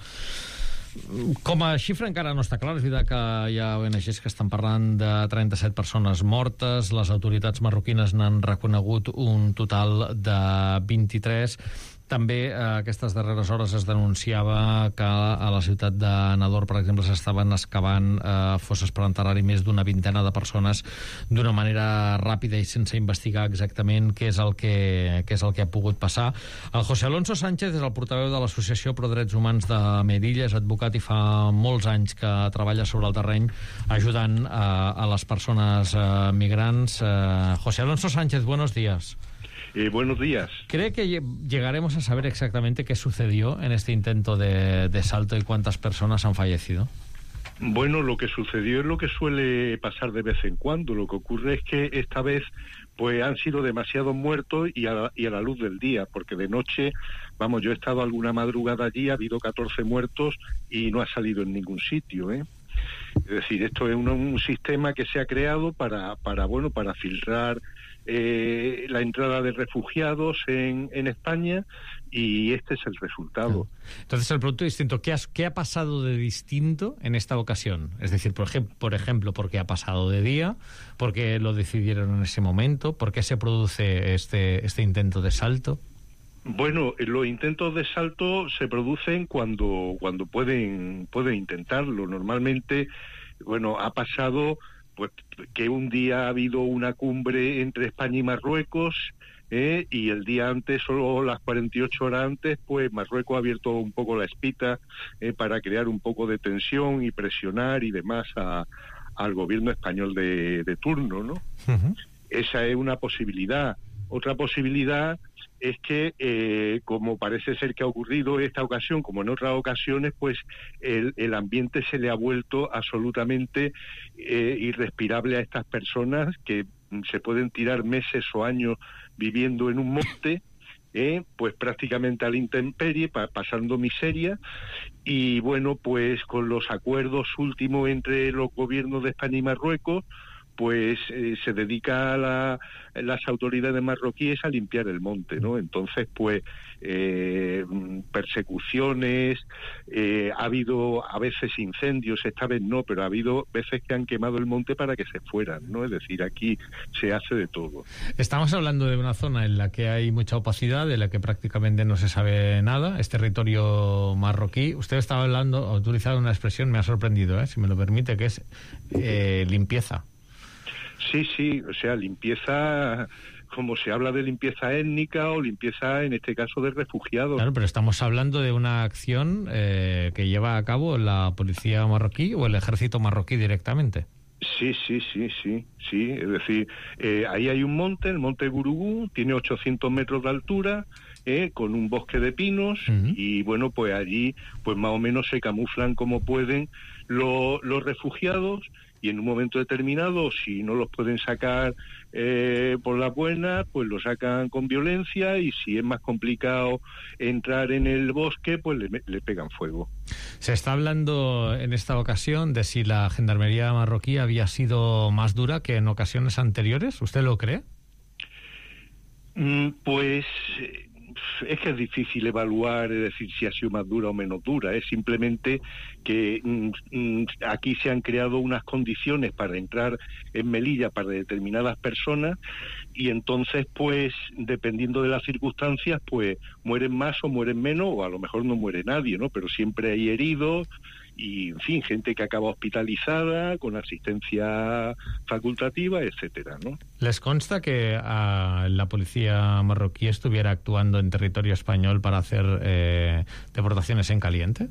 com a xifra encara no està clar. És veritat que hi ha O N Ges que estan parlant de trenta-set persones mortes. Les autoritats marroquines n'han reconegut un total de vint-i-tres. També eh, aquestes darreres hores es denunciava que a la ciutat de Nador, per exemple, s'estaven excavant eh, fosses per enterrar-hi més d'una vintena de persones d'una manera ràpida i sense investigar exactament què és el que, què és el que ha pogut passar. El José Alonso Sánchez és el portaveu de l'Associació Pro Drets Humans de Melilla, és advocat i fa molts anys que treballa sobre el terreny ajudant eh, a les persones eh, migrants. Eh, José Alonso Sánchez, buenos días. Eh, buenos días. ¿Cree que llegaremos a saber exactamente qué sucedió en este intento de, de salto y cuántas personas han fallecido? Bueno, lo que sucedió es lo que suele pasar de vez en cuando. Lo que ocurre es que esta vez pues han sido demasiados muertos y a, y a la luz del día, porque de noche, vamos, yo he estado alguna madrugada allí, ha habido catorce muertos y no ha salido en ningún sitio, ¿eh? Es decir, esto es un, un sistema que se ha creado para, para bueno, para filtrar eh, la entrada de refugiados en, en España, y este es el resultado. Entonces, el producto distinto, ¿qué, has, ¿qué ha pasado de distinto en esta ocasión? Es decir, por ejemplo, por ejemplo, ¿por qué ha pasado de día? ¿Por qué lo decidieron en ese momento? ¿Por qué se produce este, este intento de salto? Bueno, los intentos de salto se producen cuando cuando pueden pueden intentarlo. Normalmente, bueno, ha pasado pues que un día ha habido una cumbre entre España y Marruecos, eh, y el día antes, solo las cuarenta y ocho horas antes, pues Marruecos ha abierto un poco la espita eh, para crear un poco de tensión y presionar y demás a, al gobierno español de, de turno, ¿no? Uh-huh. Esa es una posibilidad. Otra posibilidad es que, eh, como parece ser que ha ocurrido en esta ocasión, como en otras ocasiones, pues el, el ambiente se le ha vuelto absolutamente eh, irrespirable a estas personas que se pueden tirar meses o años viviendo en un monte, eh, pues prácticamente a la intemperie, pa- pasando miseria, y bueno, pues con los acuerdos últimos entre los gobiernos de España y Marruecos, pues eh, se dedica a la, las autoridades marroquíes a limpiar el monte, ¿no? Entonces, pues, eh, persecuciones, eh, ha habido a veces incendios, esta vez no, pero ha habido veces que han quemado el monte para que se fueran, ¿no? Es decir, aquí se hace de todo. Estamos hablando de una zona en la que hay mucha opacidad, de la que prácticamente no se sabe nada, es territorio marroquí. Usted estaba hablando, ha utilizado una expresión, me ha sorprendido, ¿eh? Si me lo permite, que es eh, limpieza. Sí, sí, o sea, limpieza, como se habla de limpieza étnica o limpieza, en este caso, de refugiados. Claro, pero estamos hablando de una acción eh, que lleva a cabo la policía marroquí o el ejército marroquí directamente. Sí, sí, sí, sí, sí, es decir, eh, ahí hay un monte, el monte Gurugú, tiene ochocientos metros de altura, ¿eh? Con un bosque de pinos, uh-huh. y bueno, pues allí pues más o menos se camuflan como pueden los, los refugiados, y en un momento determinado, si no los pueden sacar eh, por las buenas, pues los sacan con violencia, y si es más complicado entrar en el bosque, pues le, le pegan fuego. Se está hablando en esta ocasión de si la gendarmería marroquí había sido más dura que en ocasiones anteriores. ¿Usted lo cree? Mm, pues... es que es difícil evaluar, es decir, si ha sido más dura o menos dura. Es simplemente que mm, aquí se han creado unas condiciones para entrar en Melilla para determinadas personas, y entonces, pues, dependiendo de las circunstancias, pues mueren más o mueren menos, o a lo mejor no muere nadie, ¿no? Pero siempre hay heridos y, en fin, gente que acaba hospitalizada con asistencia facultativa, etcétera, ¿no? ¿Les consta que uh, la policía marroquí estuviera actuando en territorio español para hacer eh, deportaciones en caliente?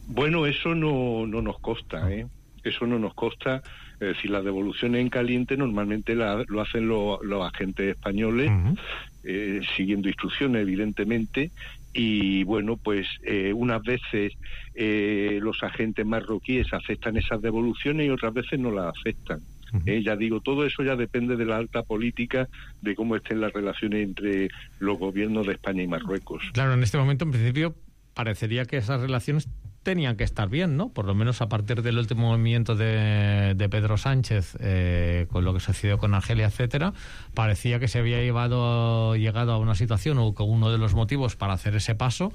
Bueno, eso no, no nos consta, ¿eh? Eso no nos consta. Es decir, las devoluciones en caliente normalmente la, lo hacen lo, los agentes españoles, uh-huh. eh, siguiendo instrucciones, evidentemente. Y bueno, pues eh, unas veces eh, los agentes marroquíes aceptan esas devoluciones y otras veces no las aceptan. Uh-huh. Eh, ya digo, todo eso ya depende de la alta política, de cómo estén las relaciones entre los gobiernos de España y Marruecos. Claro, en este momento, en principio, parecería que esas relaciones tenían que estar bien, ¿no? Por lo menos a partir del último movimiento de, de Pedro Sánchez, eh, con lo que sucedió con Argelia, etcétera, parecía que se había llevado, llegado a una situación, o que uno de los motivos para hacer ese paso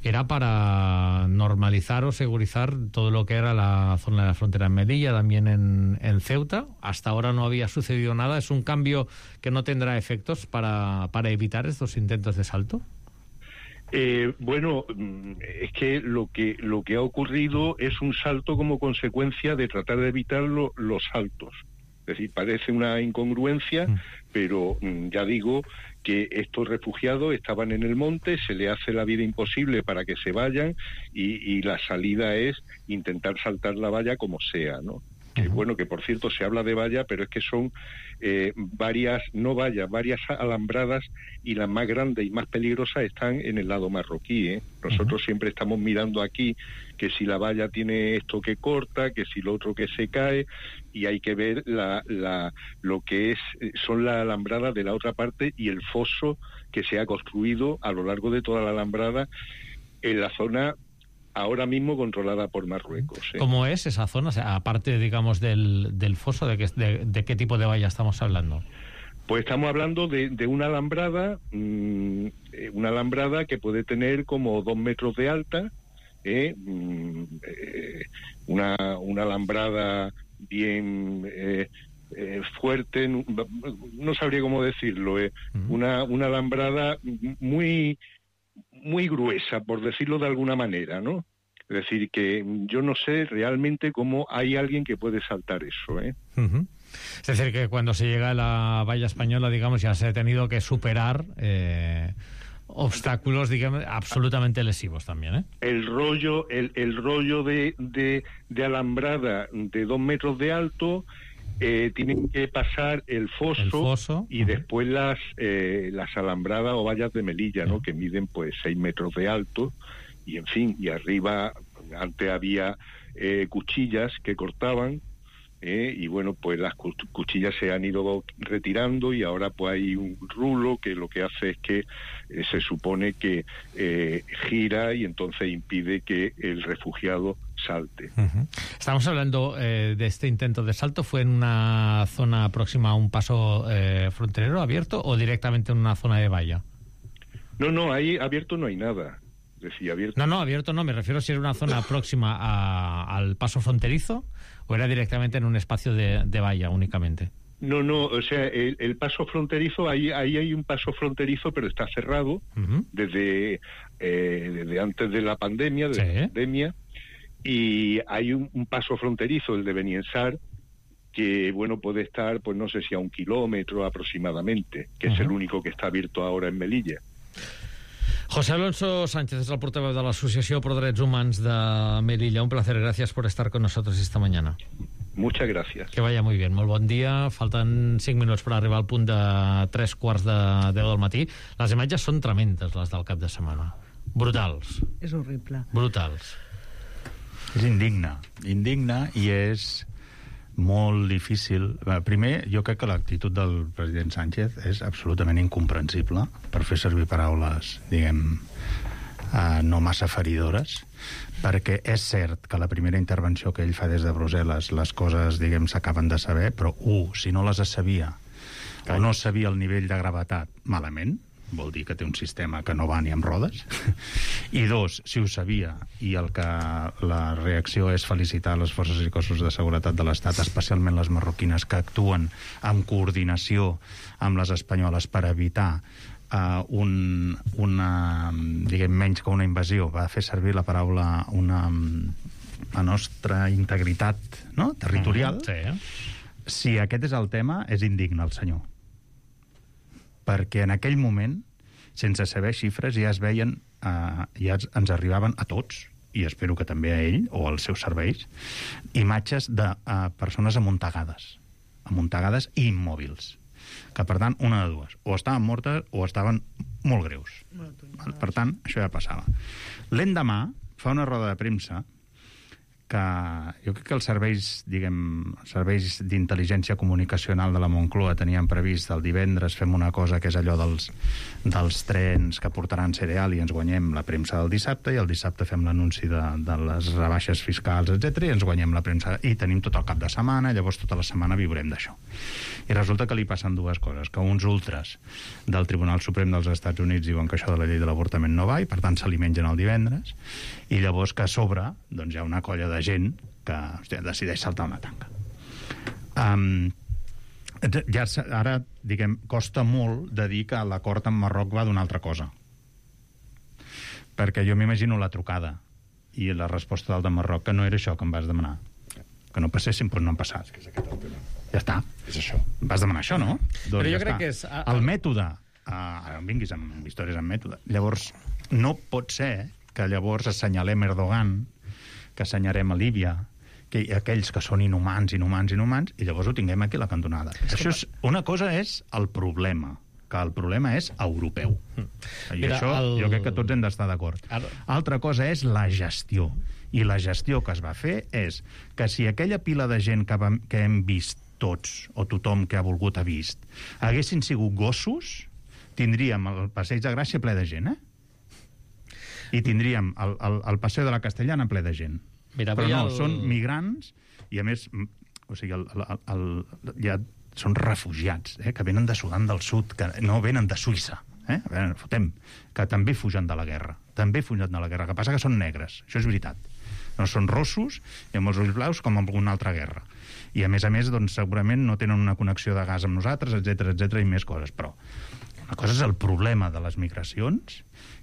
era para normalizar o segurizar todo lo que era la zona de la frontera en Melilla, también en, en Ceuta. Hasta ahora no había sucedido nada. ¿Es un cambio que no tendrá efectos para, para evitar estos intentos de salto? Eh, bueno, es que lo que lo que ha ocurrido es un salto como consecuencia de tratar de evitar lo, los saltos. Es decir, parece una incongruencia, mm. pero ya digo que estos refugiados estaban en el monte, se les hace la vida imposible para que se vayan, y, y la salida es intentar saltar la valla como sea, ¿no? Que, bueno, que por cierto se habla de valla, pero es que son eh, varias, no vallas, varias alambradas, y las más grandes y más peligrosas están en el lado marroquí, ¿eh? Nosotros uh-huh. siempre estamos mirando aquí que si la valla tiene esto que corta, que si lo otro que se cae, y hay que ver la, la, lo que es son las alambradas de la otra parte y el foso que se ha construido a lo largo de toda la alambrada en la zona ahora mismo controlada por Marruecos. ¿eh? ¿Cómo es esa zona? O sea, aparte, digamos, del, del foso, ¿de qué, de, de qué tipo de valla estamos hablando? Pues estamos hablando de, de una alambrada, mmm, una alambrada que puede tener como dos metros de alta, ¿eh? Mm, eh, una, una alambrada bien eh, eh, fuerte, no, no sabría cómo decirlo, ¿eh? Uh-huh. una, una alambrada muy... muy gruesa, por decirlo de alguna manera, ¿no? Es decir, que yo no sé realmente cómo hay alguien que puede saltar eso, ¿eh? Uh-huh. Es decir, que cuando se llega a la valla española, digamos, ya se ha tenido que superar eh, obstáculos, digamos, absolutamente lesivos también, ¿eh? El rollo, el, el rollo de, de, de alambrada de dos metros de alto, Eh, tienen que pasar el foso, el foso y uh-huh. después las eh, las alambradas o vallas de Melilla, ¿no? Uh-huh. Que miden pues seis metros de alto, y en fin, y arriba antes había eh, cuchillas que cortaban, eh, y bueno, pues las cuchillas se han ido retirando, y ahora pues hay un rulo que lo que hace es que eh, se supone que eh, gira, y entonces impide que el refugiado salte. Uh-huh. Estamos hablando eh, de este intento de salto. ¿Fue en una zona próxima a un paso eh, fronterero abierto o directamente en una zona de valla? No, no, ahí abierto no hay nada. Decía abierto. No, no, abierto no, me refiero a si era una zona próxima a, al paso fronterizo o era directamente en un espacio de, de valla únicamente. No, no, o sea, el, el paso fronterizo, ahí, ahí hay un paso fronterizo, pero está cerrado uh-huh. desde, eh, desde antes de la pandemia, de sí. la pandemia, y hay un, un paso fronterizo, el de Beniensar, que, bueno, puede estar, pues no sé si a un kilómetro aproximadamente, que uh-huh. es el único que está abierto ahora en Melilla. José Alonso Sánchez es el portavoz de la Asociación por Derechos Humanos de Melilla. Un placer, gracias por estar con nosotros esta mañana. Muchas gracias. Que vaya muy bien. Molt bon dia. Falten cinc minuts per arribar al punt de tres quarts de deu del matí. Les imatges són tremendes, les del cap de setmana. Brutals. És horrible. Brutals. És indigne. Indigne i és molt difícil. Primer, jo crec que l'actitud del president Sánchez és absolutament incomprensible, per fer servir paraules, diguem, eh, no massa feridores, perquè és cert que la primera intervenció que ell fa des de Brussel·les, les coses, diguem, s'acaben de saber, però, un, si no les sabia, o no sabia el nivell de gravetat, malament, vol dir que té un sistema que no va ni amb rodes, i dos, si ho sabia, i el que la reacció és felicitar les forces i cossos de seguretat de l'Estat, especialment les marroquines, que actuen amb coordinació amb les espanyoles per evitar Uh, un, una, diguem, menys que una invasió, va fer servir la paraula una, la nostra integritat, no?, territorial. Mm, sí. Si aquest és el tema, és indigne el senyor. Perquè en aquell moment, sense saber xifres, ja es veien, uh, ja ens arribaven a tots, i espero que també a ell, o als seus serveis, imatges de uh, persones amuntegades, amuntegades i immòbils. Que, per tant, una de dues. O estaven mortes o estaven molt greus. Per tant, això ja passava. L'endemà fa una roda de premsa que jo crec que els serveis, diguem, serveis d'intel·ligència comunicacional de la Moncloa tenien previst el divendres fem una cosa que és allò dels, dels trens que portaran cereal i ens guanyem la premsa del dissabte, i el dissabte fem l'anunci de, de les rebaixes fiscals, etcètera, i ens guanyem la premsa, i tenim tot el cap de setmana, llavors tota la setmana viurem d'això. I resulta que li passen dues coses, que uns ultras del Tribunal Suprem dels Estats Units diuen que això de la llei de l'avortament no va, i per tant se li mengen el divendres, i llavors que a sobre doncs hi ha una colla de gent que, hòstia, decideix saltar una tanca. Um, ja ara, diguem, costa molt de dir que l'acord amb Marroc va d'una altra cosa. Perquè jo m'imagino la trucada i la resposta del de Marroc, que no era això que em vas demanar. Que no passessin, però no han passat. Ja està. És això. Vas demanar això, no? Doncs però jo ja crec està. que és... El mètode... Uh, vinguis amb històries amb mètode. Llavors, no pot ser que llavors assenyalem Erdogan, que assenyarem a Líbia, que aquells que són inhumans, inhumans, inhumans, i llavors ho tinguem aquí a la cantonada. És Això és, una cosa és el problema, que el problema és europeu. Mm. I Mira, això el... jo crec que tots hem d'estar d'acord. Ara... Altra cosa és la gestió. I la gestió que es va fer és que si aquella pila de gent que, vam, que hem vist tots, o tothom que ha volgut ha vist, haguessin sigut gossos, tindríem el Passeig de Gràcia ple de gent, eh? I tindríem el, el, el Passeig de la Castellana ple de gent. Mira, però no, el... són migrants, i a més, o sigui, el, el, el, ja són refugiats, eh, que venen de Sudan del Sud, que no venen de Suïssa, eh? A veure, fotem, que també fugen de la guerra, també fugen de la guerra, que passa que són negres, això és veritat. No són rossos i amb els ulls blaus com en alguna altra guerra. I a més a més, doncs, segurament no tenen una connexió de gas amb nosaltres, etcètera, etcètera, i més coses, però una cosa és el problema de les migracions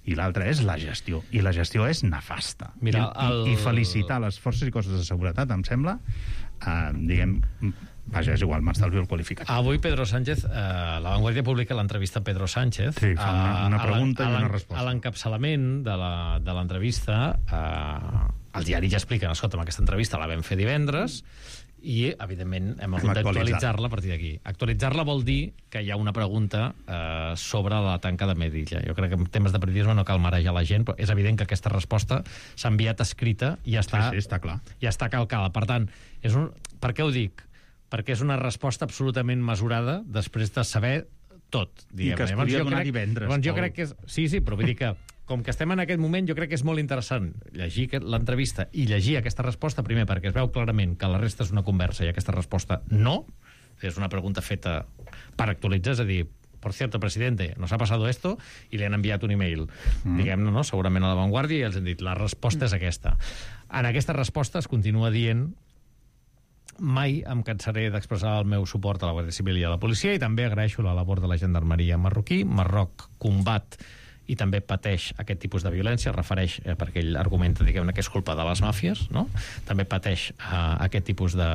i l'altra és la gestió. I la gestió és nefasta. Mira, el... I, I felicitar les forces i cossos de seguretat, em sembla, eh, diguem... Vaja, és igual, m'estalvio el qualificat. Avui Pedro Sánchez, eh, La Vanguardia publica l'entrevista a Pedro Sánchez. Sí, fa una, una pregunta i una resposta. A l'encapçalament de l'entrevista, eh, el diari ja explica, escolta, aquesta entrevista la vam fer divendres, i, evidentment, hem hagut d'actualitzar-la a partir d'aquí. Actualitzar-la vol dir que hi ha una pregunta eh, sobre la tanca de Melilla. Jo crec que en temes de periodisme no cal marejar la gent, però és evident que aquesta resposta s'ha enviat escrita i ja està, sí, sí, està clar. Ja està calcada. Per tant, és un... per què ho dic? Perquè és una resposta absolutament mesurada després de saber tot. Diguem. I que es podia donar divendres. Llavors, jo crec que és... Sí, sí, però vull dir que com que estem en aquest moment, jo crec que és molt interessant llegir l'entrevista i llegir aquesta resposta, primer perquè es veu clarament que la resta és una conversa i aquesta resposta no, és una pregunta feta per actualitzar, és a dir, por cierto, presidente, nos ha pasado esto, i li han enviat un email, mm. diguem-ne, no? Segurament a La Vanguardia, i els han dit, la resposta mm. és aquesta. En aquesta resposta es continua dient mai em cansaré d'expressar el meu suport a la Guàrdia Civil i a la policia, i també agraeixo la labor de la gendarmeria marroquí. Marroc combat i també pateix aquest tipus de violència, es refereix, eh, perquè ell argumenta, diguem-ne, que és culpa de les màfies, no? També pateix eh, aquest tipus de,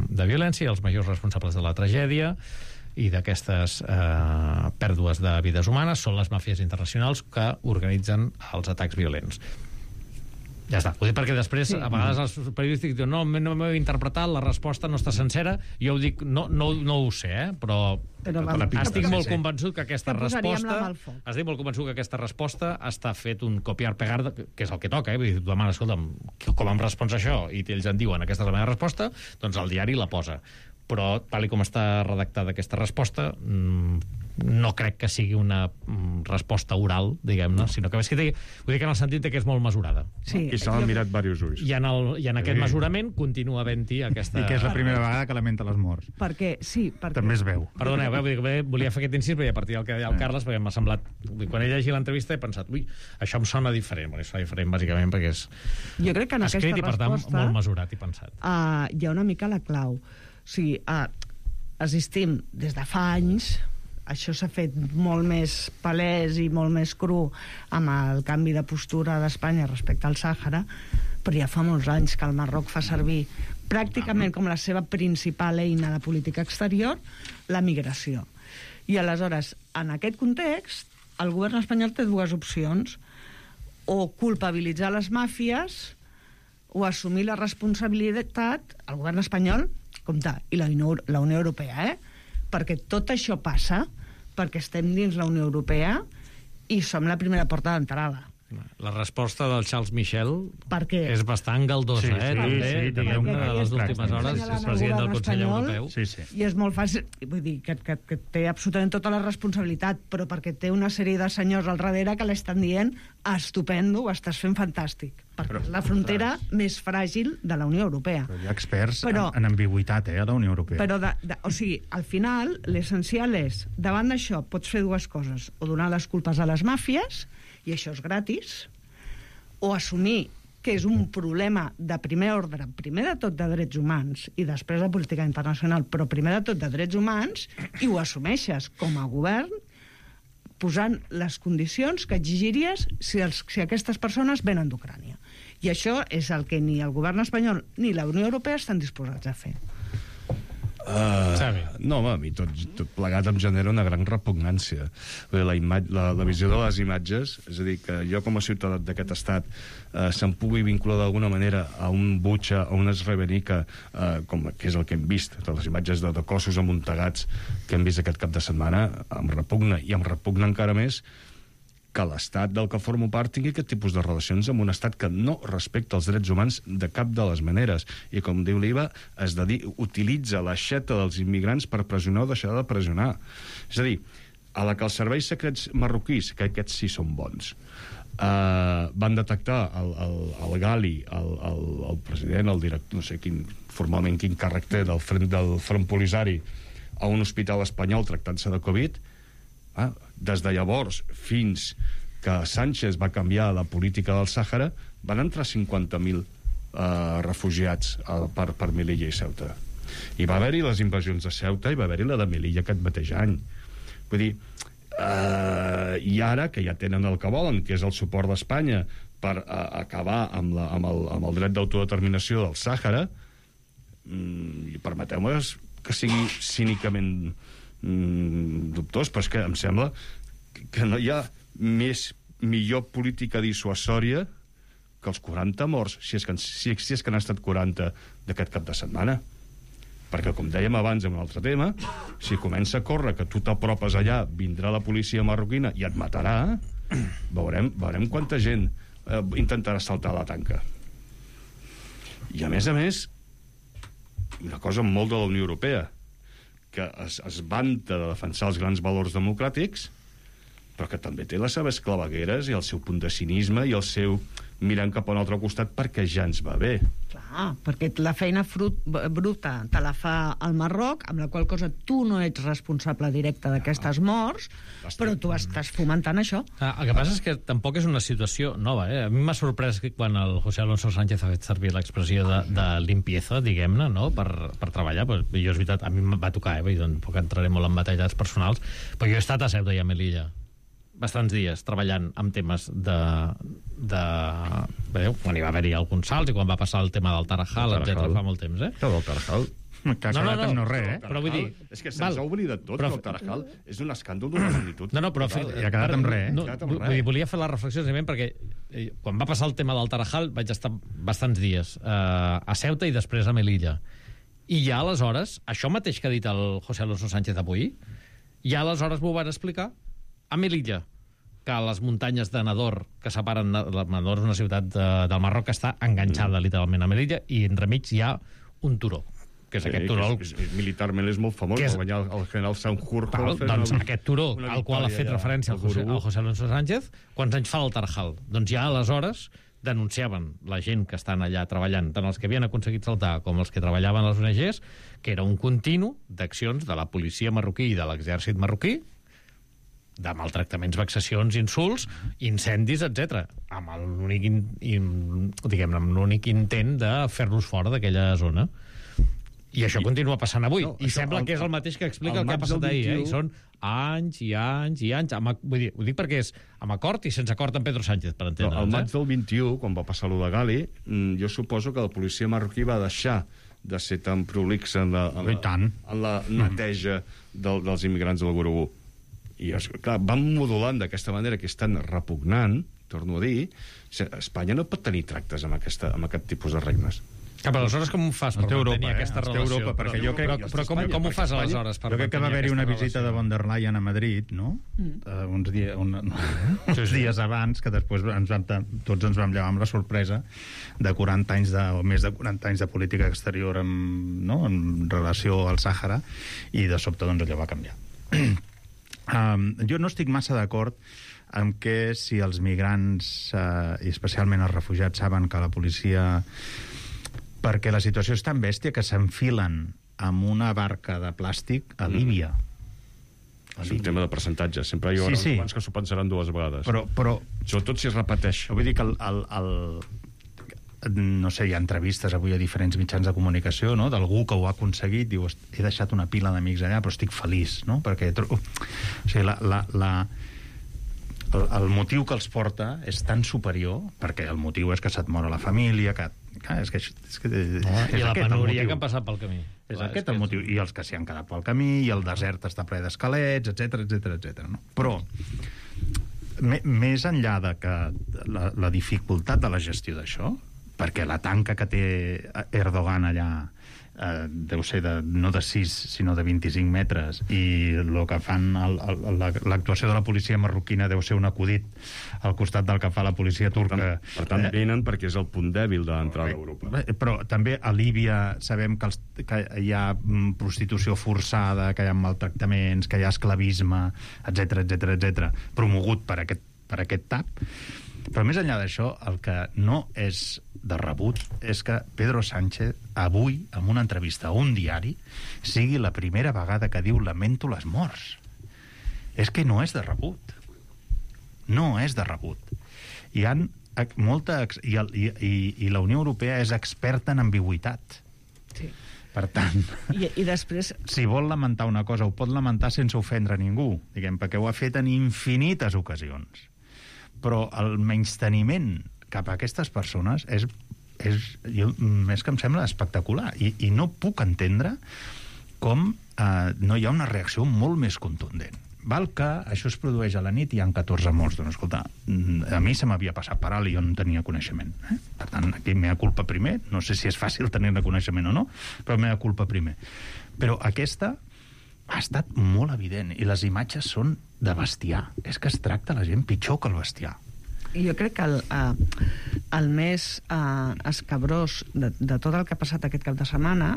de violència, i els majors responsables de la tragèdia i d'aquestes eh, pèrdues de vides humanes són les màfies internacionals que organitzen els atacs violents. Ja està. Ho dic perquè després, sí. a vegades els periodístics diuen no, no m'heu interpretat, la resposta no està sencera. Jo ho dic, no, no, no ho sé, eh? però, però estic molt convençut que aquesta resposta... Estic molt convençut que aquesta resposta està fet un copiar-pegar, que és el que toca, eh? Vull dir, tu demanes, escolta'm, com em respons això? I ells en diuen, aquesta és la meva resposta, doncs el diari la posa. Però, tal com està redactada aquesta resposta, no crec que sigui una resposta oral, diguem-ne, sinó que, que digui, vull dir que en el sentit que és molt mesurada. Sí, i se l'han mirat diversos ulls. I en, el, i en aquest sí. mesurament continua havent-hi aquesta... I que és la primera vegada que lamenta les morts. Perquè, sí, perquè... També es veu. Perdoneu, eh, volia fer aquest incís, perquè a partir del que deia el Carles, perquè m'ha semblat... Quan he llegit l'entrevista he pensat, ui, això em sona diferent. Bueno, sona diferent, bàsicament, perquè és jo crec que en escrit aquesta i, per tant, resposta, molt mesurat i pensat. Uh, hi ha una mica la clau. O sigui, uh, assistim des de fa anys, això s'ha fet molt més palès i molt més cru amb el canvi de postura d'Espanya respecte al Sàhara, però ja fa molts anys que el Marroc fa servir pràcticament com la seva principal eina de política exterior la migració. I aleshores, en aquest context, el govern espanyol té dues opcions: o culpabilitzar les màfies o assumir la responsabilitat, el govern espanyol, compte, i la Unió, la Unió Europea, eh? Perquè tot això passa perquè estem dins la Unió Europea i som la primera porta d'entrada. La resposta del Charles Michel perquè... és bastant galdosa, sí, eh? Sí, també, sí, diguem, una de les últimes hores és president del Consell Europeu. Sí, sí. I és molt fàcil, vull dir, que, que, que té absolutament tota la responsabilitat, però perquè té una sèrie de senyors al darrere que l'estan dient estupendo, ho estàs fent fantàstic. Perquè però, és la frontera clar. més fràgil de la Unió Europea. Però hi ha experts però, en, en ambigüitat, eh, a la Unió Europea. Però, de, de, o sigui, al final, l'essencial és, davant d'això, pots fer dues coses: o donar les culpes a les màfies, i això és gratis, o assumir que és un problema de primer ordre, primer de tot de drets humans i després de política internacional, però primer de tot de drets humans, i ho assumeixes com a govern posant les condicions que exigiries si, els, si aquestes persones venen d'Ucrània. I això és el que ni el govern espanyol ni la Unió Europea estan disposats a fer. Uh, no, home, a mi tot, tot plegat em genera una gran repugnància. La, imatge, la, la visió de les imatges, és a dir, que jo com a ciutadà d'aquest estat uh, se'm pugui vincular d'alguna manera a un butxa, a una esrevenica, uh, com que és el que hem vist, de les imatges de, de cossos amuntegats que hem vist aquest cap de setmana, em repugna, i em repugna encara més que l'estat del que formo part tingui aquest tipus de relacions amb un estat que no respecta els drets humans de cap de les maneres. I, com diu l'Iva, es dedi, utilitza l'aixeta dels immigrants per pressionar o deixar de pressionar. És a dir, a la que els serveis secrets marroquís, que aquests sí són bons, uh, van detectar el, el, el Gali, el, el, el president, el director, no sé quin, formalment quin càrrec té del front, del front Polisari, a un hospital espanyol tractant-se de Covid, ah, des de llavors fins que Sánchez va canviar la política del Sàhara, van entrar cinquanta mil eh, refugiats eh, per, per Melilla i Ceuta. I va haver-hi les invasions de Ceuta i va haver-hi la de Melilla aquest mateix any. Vull dir, eh, i ara que ja tenen el que volen, que és el suport d'Espanya per eh, acabar amb, la, amb, el, amb el dret d'autodeterminació del Sàhara, mm, i permeteu-me que sigui cínicament dubtós, però és que em sembla que no hi ha més millor política dissuasòria que els quaranta morts, si és que, si, si és que n'han estat quaranta d'aquest cap de setmana. Perquè, com dèiem abans en un altre tema, si comença a córrer que tu t'apropes allà, vindrà la policia marroquina i et matarà, veurem, veurem quanta gent eh, intentarà saltar la tanca. I a més a més, una cosa molt de la Unió Europea, que es, es vanta de defensar els grans valors democràtics, però que també té les seves clavegueres i el seu punt de cinisme i el seu mirant cap a un altre costat perquè ja ens va bé. Clar, perquè la feina frut, bruta te la fa el Marroc, amb la qual cosa tu no ets responsable directe d'aquestes morts, però tu estàs fomentant això. Ah, el que passa és que tampoc és una situació nova. Eh? A mi m'ha sorprès que quan el José Alonso Sánchez ha fet servir l'expressió de, de limpieza, diguem-ne, no? per, per treballar. Pues, jo, és veritat, a mi em va tocar, eh? Tampoc entraré molt en batalles personals, però jo he estat a Ceuta i a Melilla bastants dies treballant amb temes de... de... Veieu, quan hi va haver-hi alguns salts i quan va passar el tema del Tarajal, etcètera, fa molt temps, eh? El del Tarajal. Que ha quedat amb no res, eh? Però vull dir... És que se'ns ha oblidat tot, però... que el Tarajal és un escàndol d'una magnitud. No, no, però... Total, I ha quedat amb res, eh? No, vull dir, volia fer la reflexió, simplement, perquè eh, quan va passar el tema del Tarajal vaig estar bastants dies eh, a Ceuta i després a Melilla. I ja aleshores, això mateix que ha dit el José Alonso Sánchez avui, ja aleshores m'ho van explicar a Melilla, que a les muntanyes de Nador, que separen... Nador és una ciutat de, del Marroc que està enganxada mm. literalment a Melilla, i entremig hi ha un turó, que és sí, aquest turó... És, és, militarment és molt famós, és... va guanyar el general Sanjurjo... Doncs una, aquest turó, al qual ha fet referència el José, el José Alonso Sánchez, quants anys fa el Tarajal? Doncs ja aleshores denunciaven la gent que estan allà treballant, tant els que havien aconseguit saltar com els que treballaven a les O N Ges, que era un continu d'accions de la policia marroquí i de l'exèrcit marroquí, de maltractaments, vexacions, insults, incendis, etcètera, amb l'únic in, in, diguem-ne, amb l'únic intent de fer-los fora d'aquella zona. I això I, continua passant avui. No, I sembla el, que és el mateix que explica el, el que ha passat ahir. Eh? I són anys i anys i anys. Amb, vull dir, ho dic perquè és amb acord i sense acord amb Pedro Sánchez, per entendre'ns. No, el maig del vint-i-u, quan va passar lo de Gali, jo suposo que la policia marroquí va deixar de ser tan prolixa en la, en la, en la neteja del, dels immigrants del Gurugú. I, clar, van modulant d'aquesta manera que és tan repugnant, torno a dir, Espanya no pot tenir tractes amb, aquesta, amb aquest tipus de regnes. Ah, però aleshores com ho fas per Europa, mantenir eh? aquesta relació? Europa, perquè jo crec... Però, però com, com ho fas aleshores per jo crec que va haver-hi una visita relació? de von der Leyen a Madrid, no? Mm. Uh, uns, dia, un, uns sí, sí. dies abans, que després ens vam, tots ens vam llevar amb la sorpresa de quaranta anys de, o més de quaranta anys de política exterior en, no? en relació al Sàhara, i de sobte doncs allò va canviar. Um, jo no estic massa d'acord amb que si els migrants, uh, i especialment els refugiats, saben que la policia... Perquè la situació és tan bèstia que s'enfilen amb una barca de plàstic a Líbia. Mm. És un tema de percentatge. Sempre hi haurà sí, sí. uns que s'ho pensaran dues vegades. Però, però... Sobretot si es repeteix. Vull dir que el... el, el no sé, hi ha entrevistes avui a diferents mitjans de comunicació, no?, d'algú que ho ha aconseguit, diu, he deixat una pila d'amics allà, però estic feliç, no?, perquè... O sigui, la... la, la el, el motiu que els porta és tan superior, perquè el motiu és que se't mor la família, que... Clar, és que, és que, és oh, I la penúria que han passat pel camí. És Clar, aquest és el motiu. És... I els que s'hi han quedat pel camí, i el desert està ple d'esquelets, etcètera, etcètera, etcètera. No? Però, me, més enllà de que la, la dificultat de la gestió d'això, perquè la tanca que té Erdogan allà eh, deu ser de, no de sis, sinó de vint-i-cinc metres, i el que fan l'actuació de la policia marroquina deu ser un acudit al costat del que fa la policia turca. Per tant, per tant eh, venen perquè és el punt dèbil de l'entrada a Europa. Però també a Líbia sabem que, els, que hi ha prostitució forçada, que hi ha maltractaments, que hi ha esclavisme, etcètera, etcètera, etcètera, promogut per aquest, per aquest tap. Però més enllà d'això, el que no és de rebut és que Pedro Sánchez avui, en una entrevista a un diari, sigui la primera vegada que diu lamento les morts. És que no és de rebut. No és de rebut. Hi ha molta... I, el, i, i la Unió Europea és experta en ambigüitat. Sí. Per tant, I, i després... si vol lamentar una cosa, ho pot lamentar sense ofendre ningú, diguem, perquè ho ha fet en infinites ocasions. Però el menysteniment cap a aquestes persones és, és, jo, és que em sembla espectacular. I, i no puc entendre com eh, no hi ha una reacció molt més contundent. Val que això es produeix a la nit i hi ha catorze morts. Doncs, escolta, a mi se m'havia passat per alt i jo no tenia coneixement. Eh? Per tant, aquí mea culpa primer. No sé si és fàcil tenir-ne coneixement o no, però mea culpa primer. Però aquesta ha estat molt evident, i les imatges són de bestiar. És que es tracta la gent pitjor que el bestiar. Jo crec que el, eh, el més eh, escabrós de, de tot el que ha passat aquest cap de setmana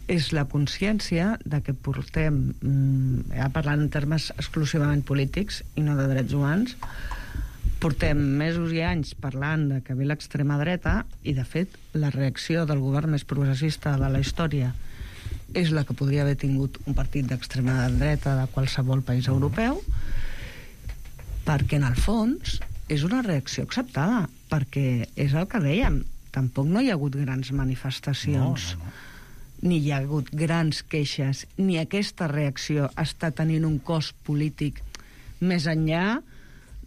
és la consciència de que portem, mm, ja parlant en termes exclusivament polítics i no de drets humans, portem mesos i anys parlant de que ve l'extrema dreta, i de fet la reacció del govern més progressista de la història és la que podria haver tingut un partit d'extrema dreta de qualsevol país europeu, perquè en el fons és una reacció acceptada, perquè és el que dèiem, tampoc no hi ha hagut grans manifestacions, no, no, no. ni hi ha hagut grans queixes, ni aquesta reacció està tenint un cost polític més enllà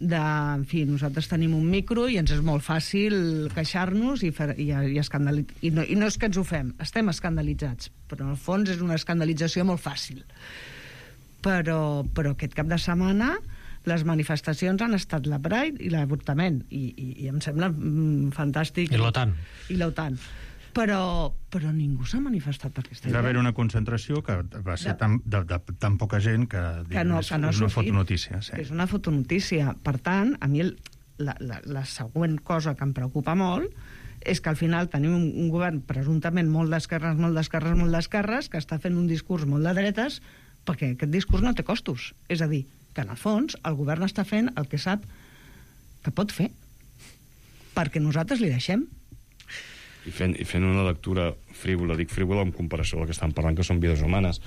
de, en fi, nosaltres tenim un micro i ens és molt fàcil queixar-nos i, fer, i, i, escandali... I, no, i no és que ens ho fem, estem escandalitzats, però en el fons és una escandalització molt fàcil. Però, però aquest cap de setmana les manifestacions han estat la Pride i l'avortament, i, i, i em sembla mm, fantàstic. I l'OTAN. I l'OTAN. Però, però ningú s'ha manifestat per aquesta idea. Va haver una concentració que va ser de, tan, de, de, tan poca gent que, que no, és, que no és una fotonotícia. Sí. És una fotonotícia. Per tant, a mi el, la, la, la següent cosa que em preocupa molt és que al final tenim un, un govern presumptament molt d'esquerres, molt d'esquerres, molt d'esquerres, que està fent un discurs molt de dretes, perquè aquest discurs no té costos. És a dir, que en el fons el govern està fent el que sap que pot fer, perquè nosaltres li deixem. I fent, i fent una lectura frívola, dic frívola en comparació al que estan parlant, que són vides humanes,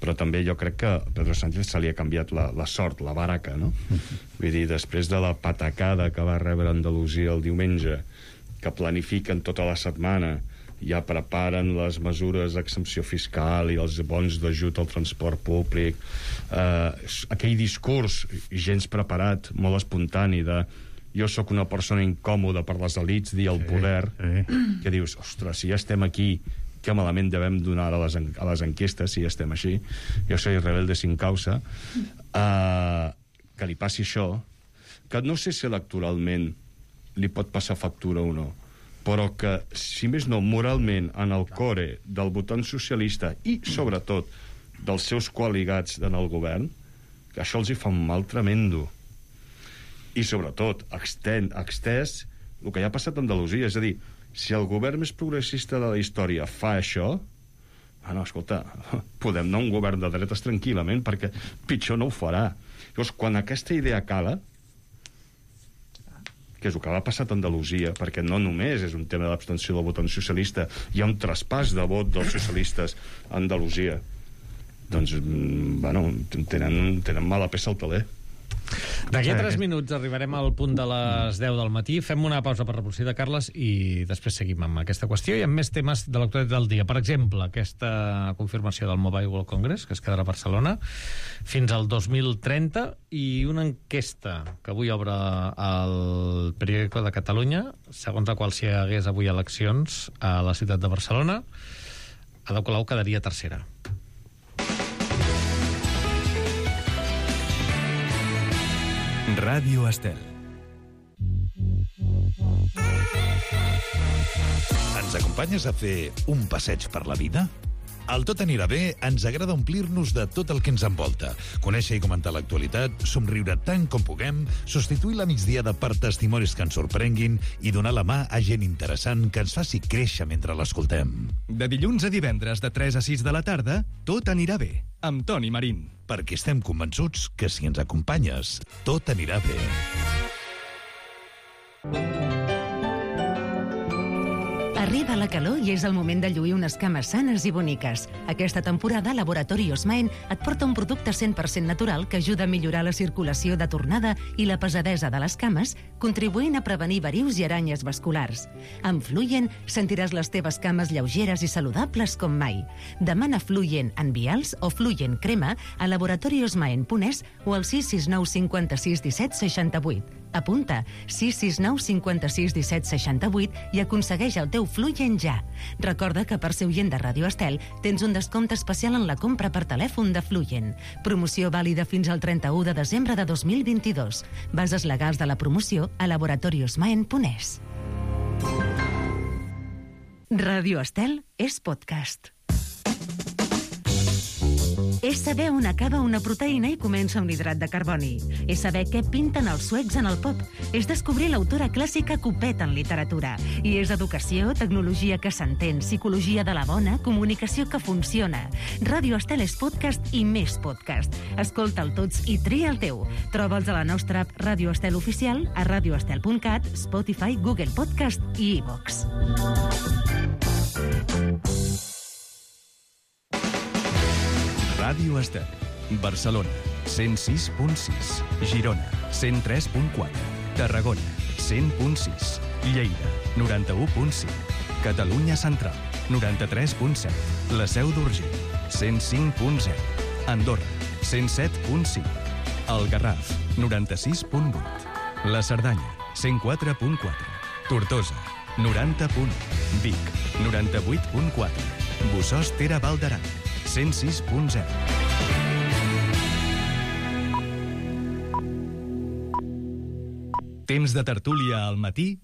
però també jo crec que a Pedro Sánchez se li ha canviat la, la sort, la baraca, no? Vull dir, després de la patacada que va rebre Andalusia el diumenge, que planifiquen tota la setmana, ja preparen les mesures d'exempció fiscal i els bons d'ajut al transport públic, eh, aquell discurs gens preparat, molt espontani, de jo sóc una persona incòmoda per les elits, dir el poder, sí, sí. Que dius, ostres, si ja estem aquí, que malament devem donar a les, a les enquestes, si ja estem així, jo soy rebelde sin causa, uh, que li passi això, que no sé si electoralment li pot passar factura o no, però que, si més no, moralment, en el core del votant socialista i, sobretot, dels seus coaligats en el govern, que això els hi fa un mal tremendo. I, sobretot, extén, extès el que ja ha passat a Andalusia. És a dir, si el govern més progressista de la història fa això, ah, no, escolta, podem anar a un govern de dretes tranquil·lament, perquè pitjor no ho farà. Llavors, quan aquesta idea cala, que és el que ha passat a Andalusia, perquè no només és un tema d'abstenció del votant socialista, hi ha un traspàs de vot dels socialistes a Andalusia, doncs, bueno, tenen, tenen mala peça al taler. D'aquí a tres minuts arribarem al punt de les deu del matí. Fem una pausa per reproducir de Carles i després seguim amb aquesta qüestió i amb més temes de l'actualitat del dia. Per exemple, aquesta confirmació del Mobile World Congress, que es quedarà a Barcelona fins al dos mil trenta, i una enquesta que avui obre el Periódico de Catalunya, segons la qual, si hi hagués avui eleccions a la ciutat de Barcelona, Ada Colau quedaria tercera. Ràdio Estel. Ens acompanyes a fer un passeig per la vida? Al Tot anirà bé ens agrada omplir-nos de tot el que ens envolta, conèixer i comentar l'actualitat, somriure tant com puguem, substituir la migdiada per testimonis que ens sorprenguin i donar la mà a gent interessant que ens faci créixer mentre l'escoltem. De dilluns a divendres de tres a sis de la tarda, Tot anirà bé, amb Toni Marín. Perquè estem convençuts que si ens acompanyes, tot anirà bé. Arriba la calor i és el moment de lluir unes cames sanes i boniques. Aquesta temporada, Laboratori Osmaen et porta un producte cent per cent natural que ajuda a millorar la circulació de tornada i la pesadesa de les cames, contribuint a prevenir verius i aranyes vasculars. Amb Fluyen sentiràs les teves cames lleugeres i saludables com mai. Demana Fluyen en vials o Fluyen crema a laboratoriosmaen punt es o al sis sis nou cinquanta-sis disset seixanta-vuit. Apunta sis sis nou cinquanta-sis disset seixanta-vuit i aconsegueix el teu Fluyen ja. Recorda que per ser oient de Ràdio Estel tens un descompte especial en la compra per telèfon de Fluyen. Promoció vàlida fins al trenta-u de desembre de dos mil vint-i-dos. Bases legals de la promoció a laboratoriosmaen punt es. Ràdio Estel és podcast. És saber on acaba una proteïna i comença un hidrat de carboni. És saber què pinten els suecs en el pop. És descobrir l'autora clàssica Copet en literatura. I és educació, tecnologia que s'entén, psicologia de la bona, comunicació que funciona. Ràdio Estel és podcast i més podcast. Escolta'l tots i tria el teu. Troba'ls a la nostra app Ràdio Estel Oficial, a radioestel punt cat, Spotify, Google Podcast i iVox. Ràdio Estel. Barcelona, cent sis punt sis. Girona, cent tres punt quatre. Tarragona, cent punt sis. Lleida, noranta-u punt cinc. Catalunya Central, noranta-tres punt set. La Seu d'Urgell, cent cinc punt zero. Andorra, cent set punt cinc. El Garraf, noranta-sis punt vuit. La Cerdanya, cent quatre punt quatre. Tortosa, noranta punt u. Vic, noranta-vuit punt quatre. Bossòst Ter Val d'Aran, cent sis punt zero. Temps de tertúlia al matí